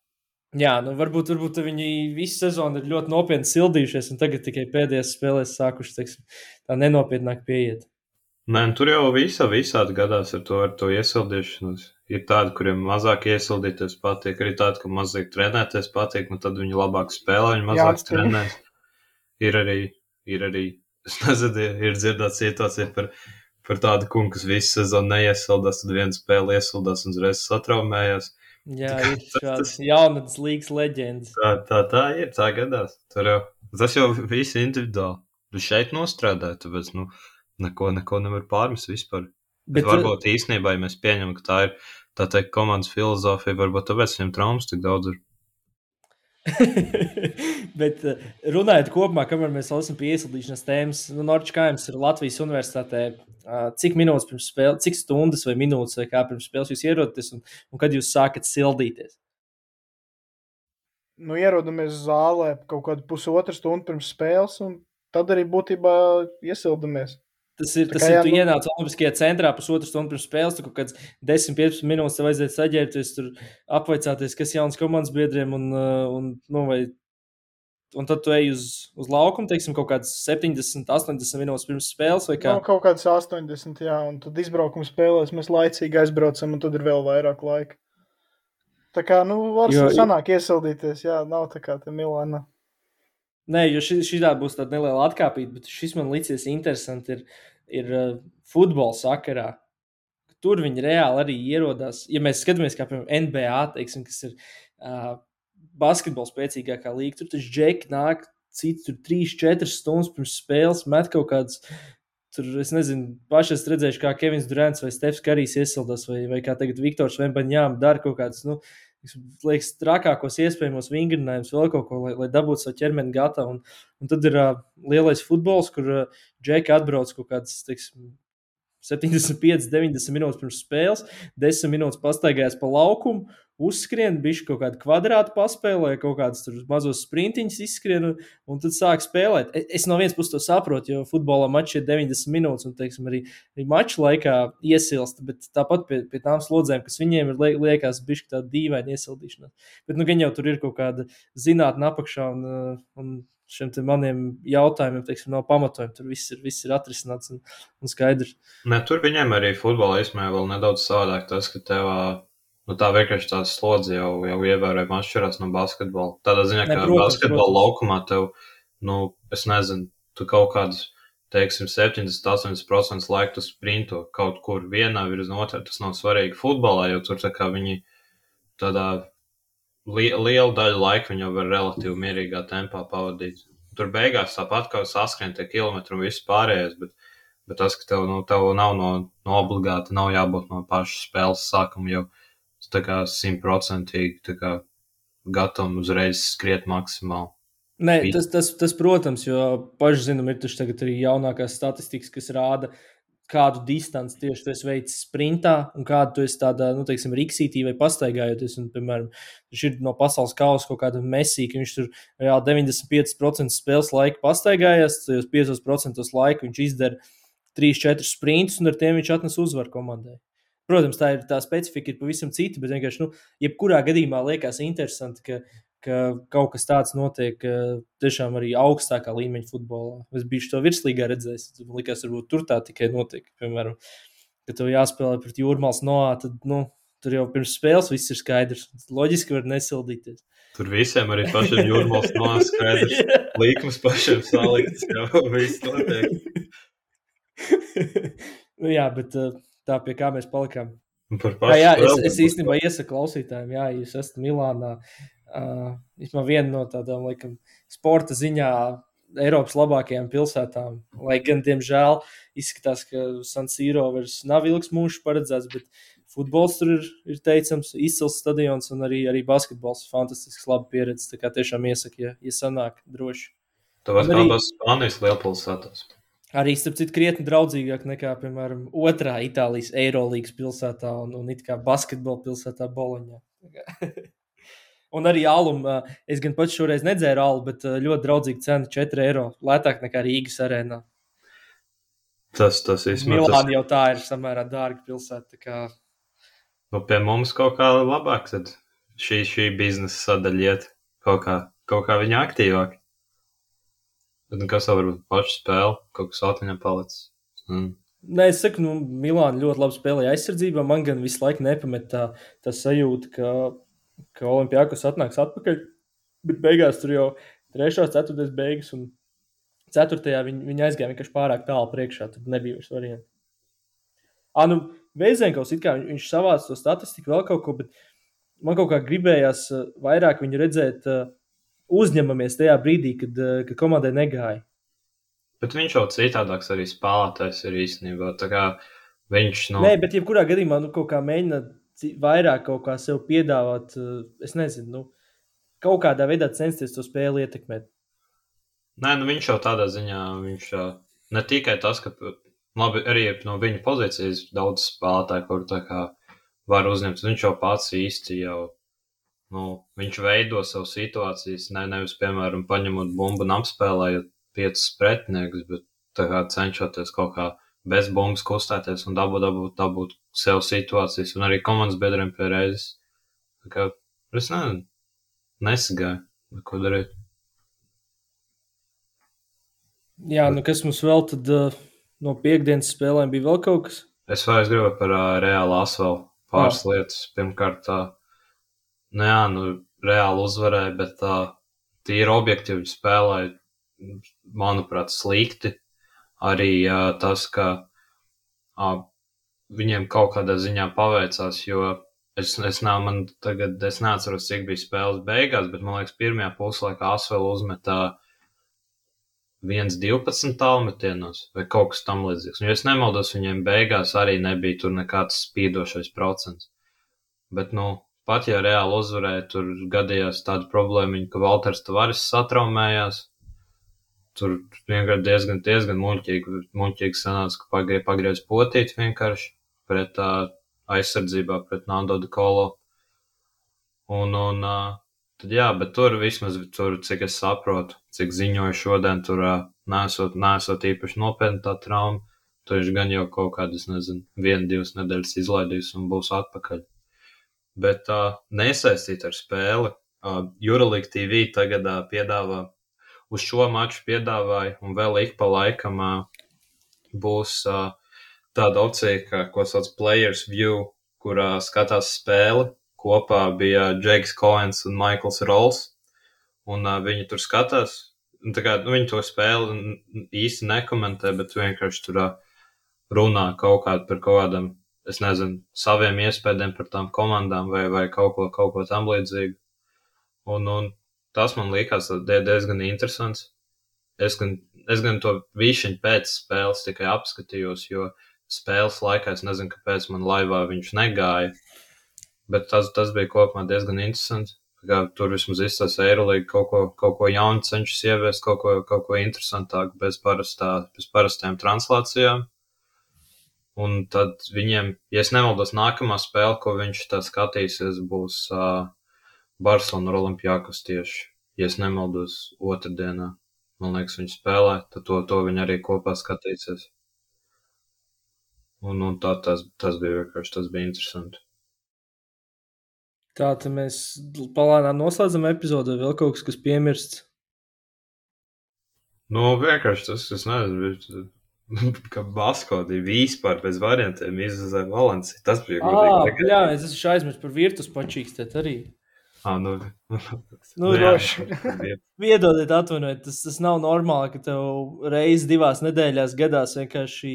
S1: Jā, varbūt viņi visu sezonu ir ļoti nopietni sildījušies, un tagad tikai pēdējās spēlēs sākuši, tā nenopietnāk pieiet.
S4: Nē, tur jau visādi gadās ar to iesildīšanos. Ir tādi, kuriem mazāk iesildīties patīk, arī tādi, ka mazāk trenēties patīk, un tad viņi labāk spēlē, viņi mazāk trenēs. Ir arī, es nezinu, ir dzirdēta situācija par tādu kungu, kas visu sezonu neiesildās, tad vienu spēli iesildās un uzreiz satraumējās.
S1: Jā, ir šāds jaunatnes līgas leģendas.
S4: Tā ir, tā gadās. Tas jau viss individuāli. Tu šeit nostrādāji, tāpēc, neko nevar pārmest vispār. Bet varbūt īstenībā, ja mēs pieņemam, ka tā ir, tā teikt, komandas filozofija, varbūt tāpēc viņam traumas tik daudz ir.
S1: Bet runājot kopumā, kamēr mēs esam pie iesildīšanas tēmas, Norčs Kaims ir Latvijas universitātē. Cik minūtes pirms spēles, cik stundas vai minūtes vai kā pirms spēles jūs ierodaties un kad jūs sākat sildīties?
S3: ierodamies zālē kaut kādu pusotru stundu pirms spēles, un tad arī būtībā iesildamies.
S1: Tas ir, tu ienāc Olimpiskajā centrā pusotru stundu pirms spēles, tu kaut kāds 10-15 minūtes tev vajadzētu saģērbties, tur apvaicāties, kas jauns komandas biedriem, un tad tu ej uz laukumu, teiksim, kaut kāds 70-80 minūtes pirms spēles, vai kā?
S3: Kaut kāds 80, jā, un tad izbraukuma spēlēs mēs laicīgi aizbraucam, un tad ir vēl vairāk laika. Tā kā, var sanāk iesildīties, jā, nav tā kā te Milāna.
S1: Nē, jo šitā būs tāda neliela atkāpīta, bet šis man licies interesanti ir futbola sakarā. Tur viņi reāli arī ierodās. Ja mēs skatāmies kā, piemēram, NBA, teiksim, kas ir basketbola spēcīgākā līga, tur taču džeki nāk citi tur 3-4 stundas pirms spēles, met kaut kāds, tur, es nezinu, paši esmu redzējuši, kā Kevins Durants vai Stefs Karijs iesildās, vai kā tagad Viktors Vembaņām dara kaut kāds, liekas, trakākos iespējamos vingrinājumus, vēl kaut ko, lai dabūtu savu ķermeni gatavu. Un tad ir lielais futbols, kur džeki atbrauc kaut kāds, teiksim, 75-90 minūtes pirms spēles, 10 minūtes pastaigājās pa laukumu, uzskrien, bišķi kaut kādu kvadrātu paspēlē, kaut kādus tur mazos sprintiņus izskrien, un tad sāk spēlēt. Es no vienas puses to saprotu, jo futbolā mačs ir 90 minūtes, un, teiksim, arī maču laikā iesilst, bet tāpat pie tām slodzēm, kas viņiem ir, liekas bišķi tāda dīvaina iesildīšana. Bet, gan jau tur ir kaut kāda zinātne apakšā, un šiem te maniem jautājumiem, teiksim, nav pamatojumi. Tur viss ir atrisināts un skaidrs.
S4: Ne, tur viņiem arī futbolā īstenībā vēl nedaudz savādāk tas, ka tev tā vienkārši tās slodze jau ievērojami atšķirās no basketbola. Tādā ziņā, ka basketbola laukumā tev, es nezinu, tu kaut kādus, teiksim, 70-80% laika tu sprinto kaut kur vienā virz no otrā. Tas nav svarīgi futbolā, jo tur tā kā viņi tādā lielu daļu laika viņi jau var relatīvi mierīgā tempā pavadīt. Tur beigās tāpat kā saskrien tie kilometri un viss pārējais, bet tas, ka tev nav no obligāti, nav jābūt no paša spēles sākuma jau tā kā 100% tā kā gatavam uzreiz skriet maksimāli.
S1: Nē, tas, protams, jo paši zinām, ir taču tagad arī jaunākās statistikas, kas rāda, kādu distanci tieši tu esi veicis sprintā un kādu tu esi tādā, teiksim, riksītī vai pastaigājoties. Un, piemēram, viņš ir no pasaules kausa kaut kāda Messi, ka viņš tur reāli 95% spēles laika pastaigājās, tajos 5% laika viņš izdara 3-4 sprintus un ar tiem viņš atnes uzvaru komandai. Protams, tā specifika ir pavisam cita, bet vienkārši, jebkurā gadījumā liekas interesanti, ka kaut kas tāds notiek tiešām arī augstākā līmeņa futbolā. Es biju to virslīgā redzējis, man likās, varbūt tur tā tikai notiek. Piemēram, kad tev jāspēlē pret Jūrmālas Noā, tad, tur jau pirms spēles viss ir skaidrs. Loģiski var nesildīties.
S4: Tur visiem arī pašiem Jūrmālas Noā skaidrs. Līkums pašiem salikts, jau viss notiek.
S1: Jā, bet tā pie kā mēs palikām. Es īstenībā iesaku klausītājiem, ja jūs esat Milānā, vismaz viena no tādām, laikam, sporta ziņā Eiropas labākajām pilsētām, lai gan, diemžēl, izskatās, ka San Siro vairs nav ilgs mūžs paredzēts, bet futbols tur ir teicams, izcils stadions un arī basketbols fantastisks, laba pieredze, tā kā tiešām iesaku, ja sanāk droši.
S4: Tu vari abas Spānijas lielpilsētās.
S1: Arī, starp citu, krietni draudzīgāk nekā, piemēram, otrā Itālijas Eirolīgas pilsētā un it kā basketbola pilsētā Boloņā. Un arī alum, es gan pats šoreiz nedzēru alu, bet ļoti draudzīga cena €4, lētāk nekā Rīgas arēnā.
S4: Tas īstenībā.
S1: Milāna jau tā ir samērā dārga pilsēta. Kā...
S4: Pie mums kaut kā labāk, tad šī biznesa sadaļa iet kaut kā viņa aktīvāk. Bet kas jau varbūt paši spēle, kaut kas atmiņā palicis.
S1: Nē, es saku, Milāna ļoti labi spēlēja aizsardzībā. Man gan visu laiku nepamet tā sajūta, ka Olimpiakos atnāks atpakaļ, bet beigās tur jau 3., 4. beigas un 4. viņi aizgāja vienkārši pārāk tālu priekšā, tad nebija vairs varianti. Veizenkaus, it kā viņš savāca to statistiku vēl kaut ko, bet man kaut kā gribējās vairāk viņu redzēt uzņemamies tajā brīdī, kad komandai negāja.
S4: Bet viņš jau citādāks arī spēlētājs ir īstenībā, tā kā viņš
S1: Nē, bet jebkurā gadījumā kaut kā mēģina vairāk kaut kā sev piedāvāt, es nezinu, kaut kādā veidā censties to spēli ietekmēt.
S4: Nē, viņš jau tādā ziņā, viņš ne tikai tas, ka labi, arī no viņa pozīcijas daudz spēlētāju, kur tā kā var uzņemt, viņš jau pats īsti jau, viņš veido savu situācijas, nevis, piemēram, paņemot bumbu un apspēlējot 5 pretiniekus, bet tā kā cenšoties kaut kā bez bumbas kustēties un dabūt sev situācijas un arī komandas biedriem pie reizes. Tā kā es nesagāju, ko darīt.
S1: Jā, kas mums vēl tad no piekdienas spēlēm bija vēl kaut kas?
S4: Es gribu par Reālu Asvelu pāris lietas. Pirmkārt, Reāli uzvarēja, bet tīri objektīvi spēlēja, manuprāt, slikti. Arī tas, ka viņiem kaut kādā ziņā paveicās, jo es neatceros, cik bija spēles beigās, bet man liekas, pirmajā puslaikā Asvela uzmetā 1-12 tālmetienos vai kaut kas tam līdzīgs. Un, ja es nemaldos, viņiem beigās arī nebija tur nekāds spīdošais procents. Bet, pat ja Reāli uzvarēja, tur gadījās tāda problēma, ka Valters Tavares satraumējās. Tur vienkārši diezgan muļķīgi sanāca, ka pagriez potīt vienkārši pret aizsardzībā pret Nando de Colo. Tad jā, bet tur vismaz, cik es saprotu, cik ziņoju šodien, tur nesot īpaši nopietna tā trauma. Tur viņš gan jau kaut kādas, 1-2 nedēļas izlaidīs un būs atpakaļ. Bet nesaistīt ar spēli. Euroleague TV tagad piedāvā, uz šo maču piedāvāja, un vēl ik pa laikam būs tāda opcija, ko sauc Players View, kurā skatās spēli. Kopā bija Džeks Coens un Maikls Rolls, un viņi tur skatās. Viņi to spēli īsti nekomentē, bet vienkārši tur runā par kaut kādam, es nezinu, saviem iespējām par tām komandām vai kaut ko tam līdzīgu. Un tas man likās diezgan interesants. Es gan to višķiņu pēc spēles tikai apskatījos, jo spēles laikā es nezinu, kāpēc man laivā viņš negāja. Bet tas bija kopumā diezgan interesanti. Tur vismaz izstās Eirolīga kaut ko jaunu cenšas ieviest, kaut ko interesantāku bez parastām translācijām. Un tad viņiem, ja es nemaldos, nākamā spēle, ko viņš tā skatīsies, būs Barcelona ar Olimpiakos tieši. Ja es nemaldos, otrdienā, man liekas, viņi spēlē, tad to viņi arī kopā skatīsies. Un tas bija vienkārši, tas bija interesanti.
S1: Tā tad mēs palānām noslēdzam epizodu, vēl kaut kas piemirsts.
S4: Vienkārši tas, es nezinu, ka Baskodi vispār bez variantiem izvazēja Valenciju. Tas bija godīgi.
S1: Jā, es esmu aizmirst par Virtus pačīkstēt arī.
S3: Droši.
S1: Viedodiet, atvainojiet, tas nav normāli, ka tev reizi 2 nedēļās gadās vienkārši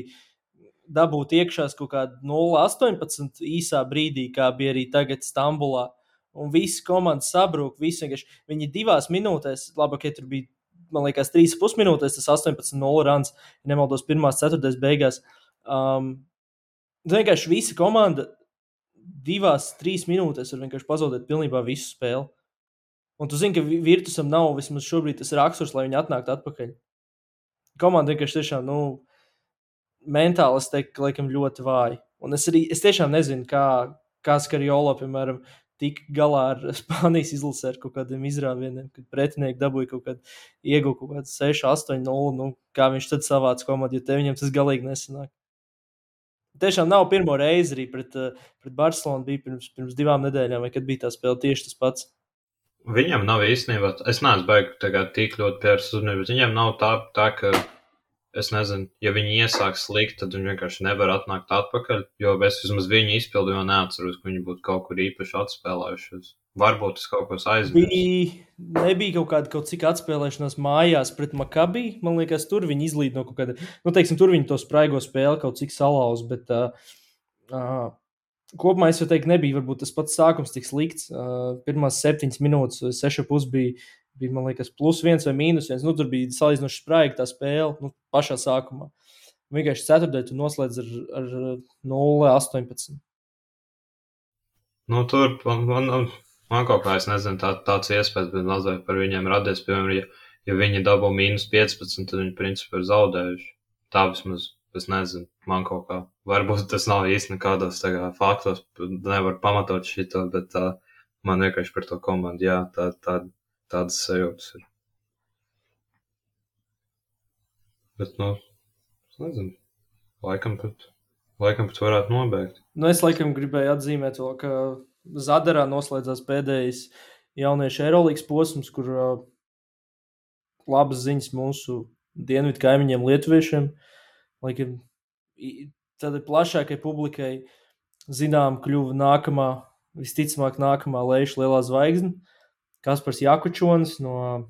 S1: dabūt iekšās kaut kādu 0-18 īsā brīdī, kā bija arī tagad Stambulā. Un visi komandas sabrūk, viņi 2 minūtēs, labi, tur bija, man liekas, 3,5 minūtēs, tas 18-0 runs, ja nemaldos 1/4 beigās. Vienkārši visa komanda 2-3 minūtēs var vienkārši pazaudēt pilnībā visu spēli. Un tu zini, ka Virtusam nav vismaz šobrīd tas raksturs, lai viņi atnāktu atpakaļ. Komanda vienkārši tiešām, mentāli, es teiktu, laikam ļoti vāji. Un es tiešām nezinu, kā Skariolo, piemēram, tika galā ar Spānijas izlasi ar kaut kādiem izrāvieniem, kad pretinieki dabūja ieguva kaut kādu 6-8-0, kā viņš tad savāca komandu, jo te viņam tas galīgi nesanāk. Tiešām nav pirmo reizi arī pret Barcelonu bija pirms 2 nedēļām, vai kad bija tā spēle tieši tas pats.
S4: Viņam nav īstenībā, es neesmu baigi tagad tik ļoti pievērst uzmanību, bet viņam nav tā, ka es nezinu, ja viņi iesāk slikt, tad viņi vienkārši nevar atnākt atpakaļ, jo es vismaz viņu izpildīju un neatceros, ka viņi būtu kaut kur īpaši atspēlējušies. Varbūt es kaut ko aizmirsu.
S1: Nebija kaut cik atspēlēšanās mājās pret Maccabi, man liekas, tur viņi izlīd no kaut kāda, tur viņi to spraigo spēli kaut cik salauz, bet kopumā es jau teiktu, nebija varbūt tas pats sākums tik slikts. Pirmās 7 minūtes, 6,5 bija, man liekas, +1 vai -1. Tur bija salīdzinoši spraiga tā spēle, pašā sākumā. Vienkārši ceturtdien tu noslēdz ar 0-18.
S4: Tur man kaut kā, es nezinu, tāds iespējas, bet mazliet par viņiem radies, piemēram, ja viņi dabū -15, tad viņi principā ir zaudējuši. Tā vismaz, es nezinu, man kaut kā, varbūt tas nav īsti nekādos faktos, nevar pamatot šito, bet Man vienkārši par to komandu, jā, tādas sajūtas ir. Bet, es nezinu, laikam pat varētu nobeigt.
S1: Es laikam gribēju atzīmēt vēl, ka Zadarā noslēdzās pēdējais jauniešu Eirolīgas posms, kur labas ziņas mūsu dienvidu kaimiņiem lietuviešiem. Laikam tādai plašākai publikai zinām kļuva visticamāk nākamā Leišu lielā zvaigzne. Kaspars Jakučonis no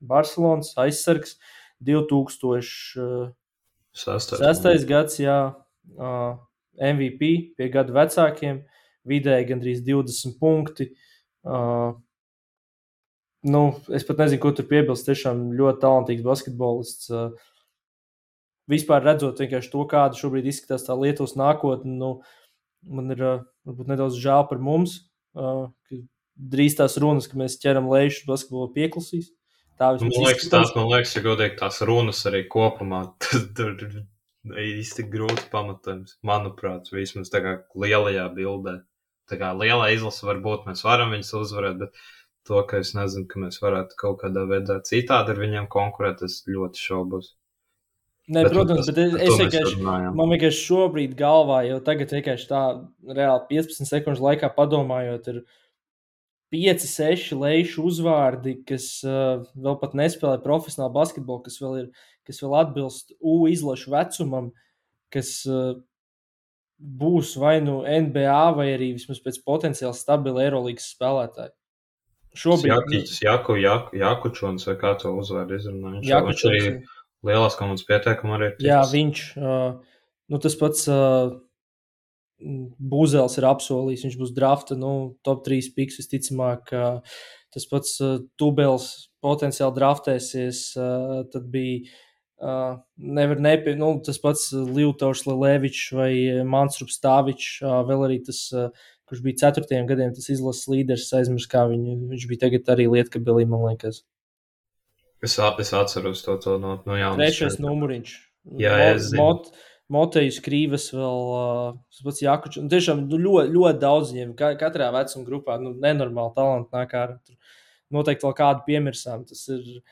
S1: Barcelonas aizsargs 2006. gads, jā, MVP pie gadu vecākiem, vidēji gandrīz 20 punkti. Es pat nezinu, ko tur piebilst, tiešām ļoti talantīgs basketbolists. Vispār redzot vienkārši to, kāda šobrīd izskatās tā Lietuvas nākotne, man ir varbūt nedaudz žēl par mums, ka drīz tās runas, ka mēs ķeram Leišu basketbolu pieklusīs.
S4: Man liekas, ja godīgi tās runas arī kopumā, tur īsti grūti pamatojums, manuprāt, vismaz tā kā lielajā bildē. Tā kā lielā izlase varbūt mēs varam viņus uzvarēt, bet to, ka es nezinu, ka mēs varētu kaut kādā veidā citādi ar viņiem konkurēt, es ļoti šaubos.
S1: Nē, protams, bet man vienkārši šobrīd galvā jau tagad vienkārši tā reāli 15 sekundžu laikā padomājot, ir 5-6 Leišu uzvārdi, kas vēl pat nespēlē profesionālu basketbolu, kas vēl atbilst U izlašu vecumam, kas būs vai nu NBA vai arī vismaz pēc potenciāli stabili Eirolīgas spēlētāji.
S4: Šobrīd Jakučons vai kā to uzvārdu izrunā? Viņš arī lielās komandas pieteikuma arī ir.
S1: Jā, viņš, tas pats Būzels ir apsolījis, viņš būs drafta, top 3 piks visticamāk, tas pats Tubels potenciāli draftēsies, tad bija tas pats Livtaušs Lelevičs vai Mansrups Stāvičs, vēl arī tas, kurš bija 4. gadiem, tas izlases līderis, aizmirst, kā viņš bija tagad arī Lietkabelī, man liekas.
S4: Es atceros to no jaunas.
S1: 3. numuriņš.
S4: Jā, es zinu.
S1: Motejus Krīvas vēl, pats Jakučs, tiešām ļoti, ļoti daudz viņiem, katrā vecuma grupā, nenormāli talanti nāk ārā. Noteikti vēl kādu piemirsām, tas ir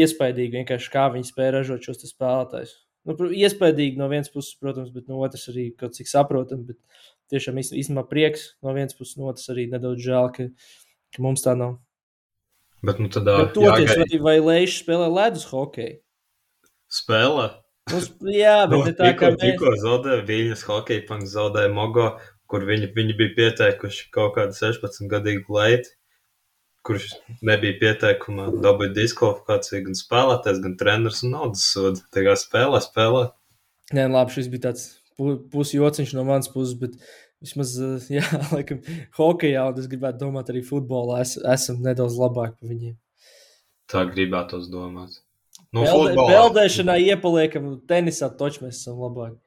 S1: iespaidīgi vienkārši, kā viņi spēja ražot šos spēlētājus. Iespaidīgi no vienas puses, protams, bet no otras arī kaut cik saprotam, bet tiešām īstenībā prieks no vienas puses, no otras arī nedaudz žēl, ka mums tā nav.
S4: Bet
S1: vai Leiši spēlē ledus hokeju?
S4: Spēlē?
S1: Jā, bet tā kā
S4: tikko zaudēja Viļņas hokeja punkts, zaudēja Mogo, kur viņi bija pieteikuši kaut kādu 16-gadīgu leiti, kurš nebija pieteikumā, dabūja diskvalifikāciju gan spēlētājs, gan treneris un naudas sodu. Tā kā spēlē.
S1: Nē, labi, šis bija tāds pusjociņš no manas puses, bet vismaz, jā, laikam, hokejā, un es gribētu domāt arī futbolā, esam nedaudz labāk par viņiem.
S4: Tā gribētos domāt.
S1: Beldēšanā iepaliekam, tenisā toču mēs esam labāk.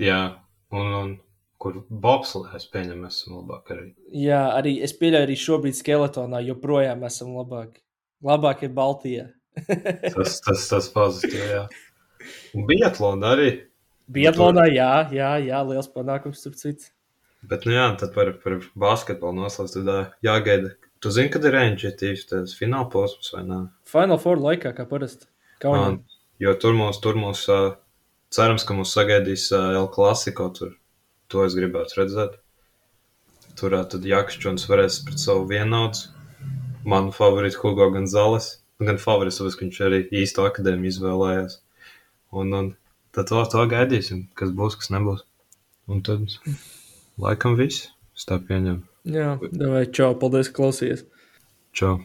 S4: Jā, un kur bobslē, es pieņemu, mēs esam labāk arī.
S1: Jā, arī es pieļauju arī šobrīd skeletonā, joprojām esam labāk. Labāk ir Baltijā.
S4: tas pozitīvi, jā. Un biatlona arī.
S1: Biatlonā, jā, liels panākums tur cits.
S4: Bet, tad par basketbolu noslēdz, tad jāgaida. Tu zini, kad ir NGTs, tas fināla posms vai nē?
S1: Final Four laikā, kā parasti.
S4: Jo tur mūs cerams, ka mūs sagaidīs El Clasico tur. To es gribētu redzēt. Tur tad Jakučons varēs pret savu vienaudz. Manu favorītu Hugo Gonzales. Gan favorīts, tāpēc, ka viņš arī īsto akadēmiju izvēlējās. Un tad to gaidīsim, kas būs, kas nebūs. Un tad laikam viss. Es tā pieņemu.
S1: Jā, davai, čau, paldies, ka klausies.
S4: Čau.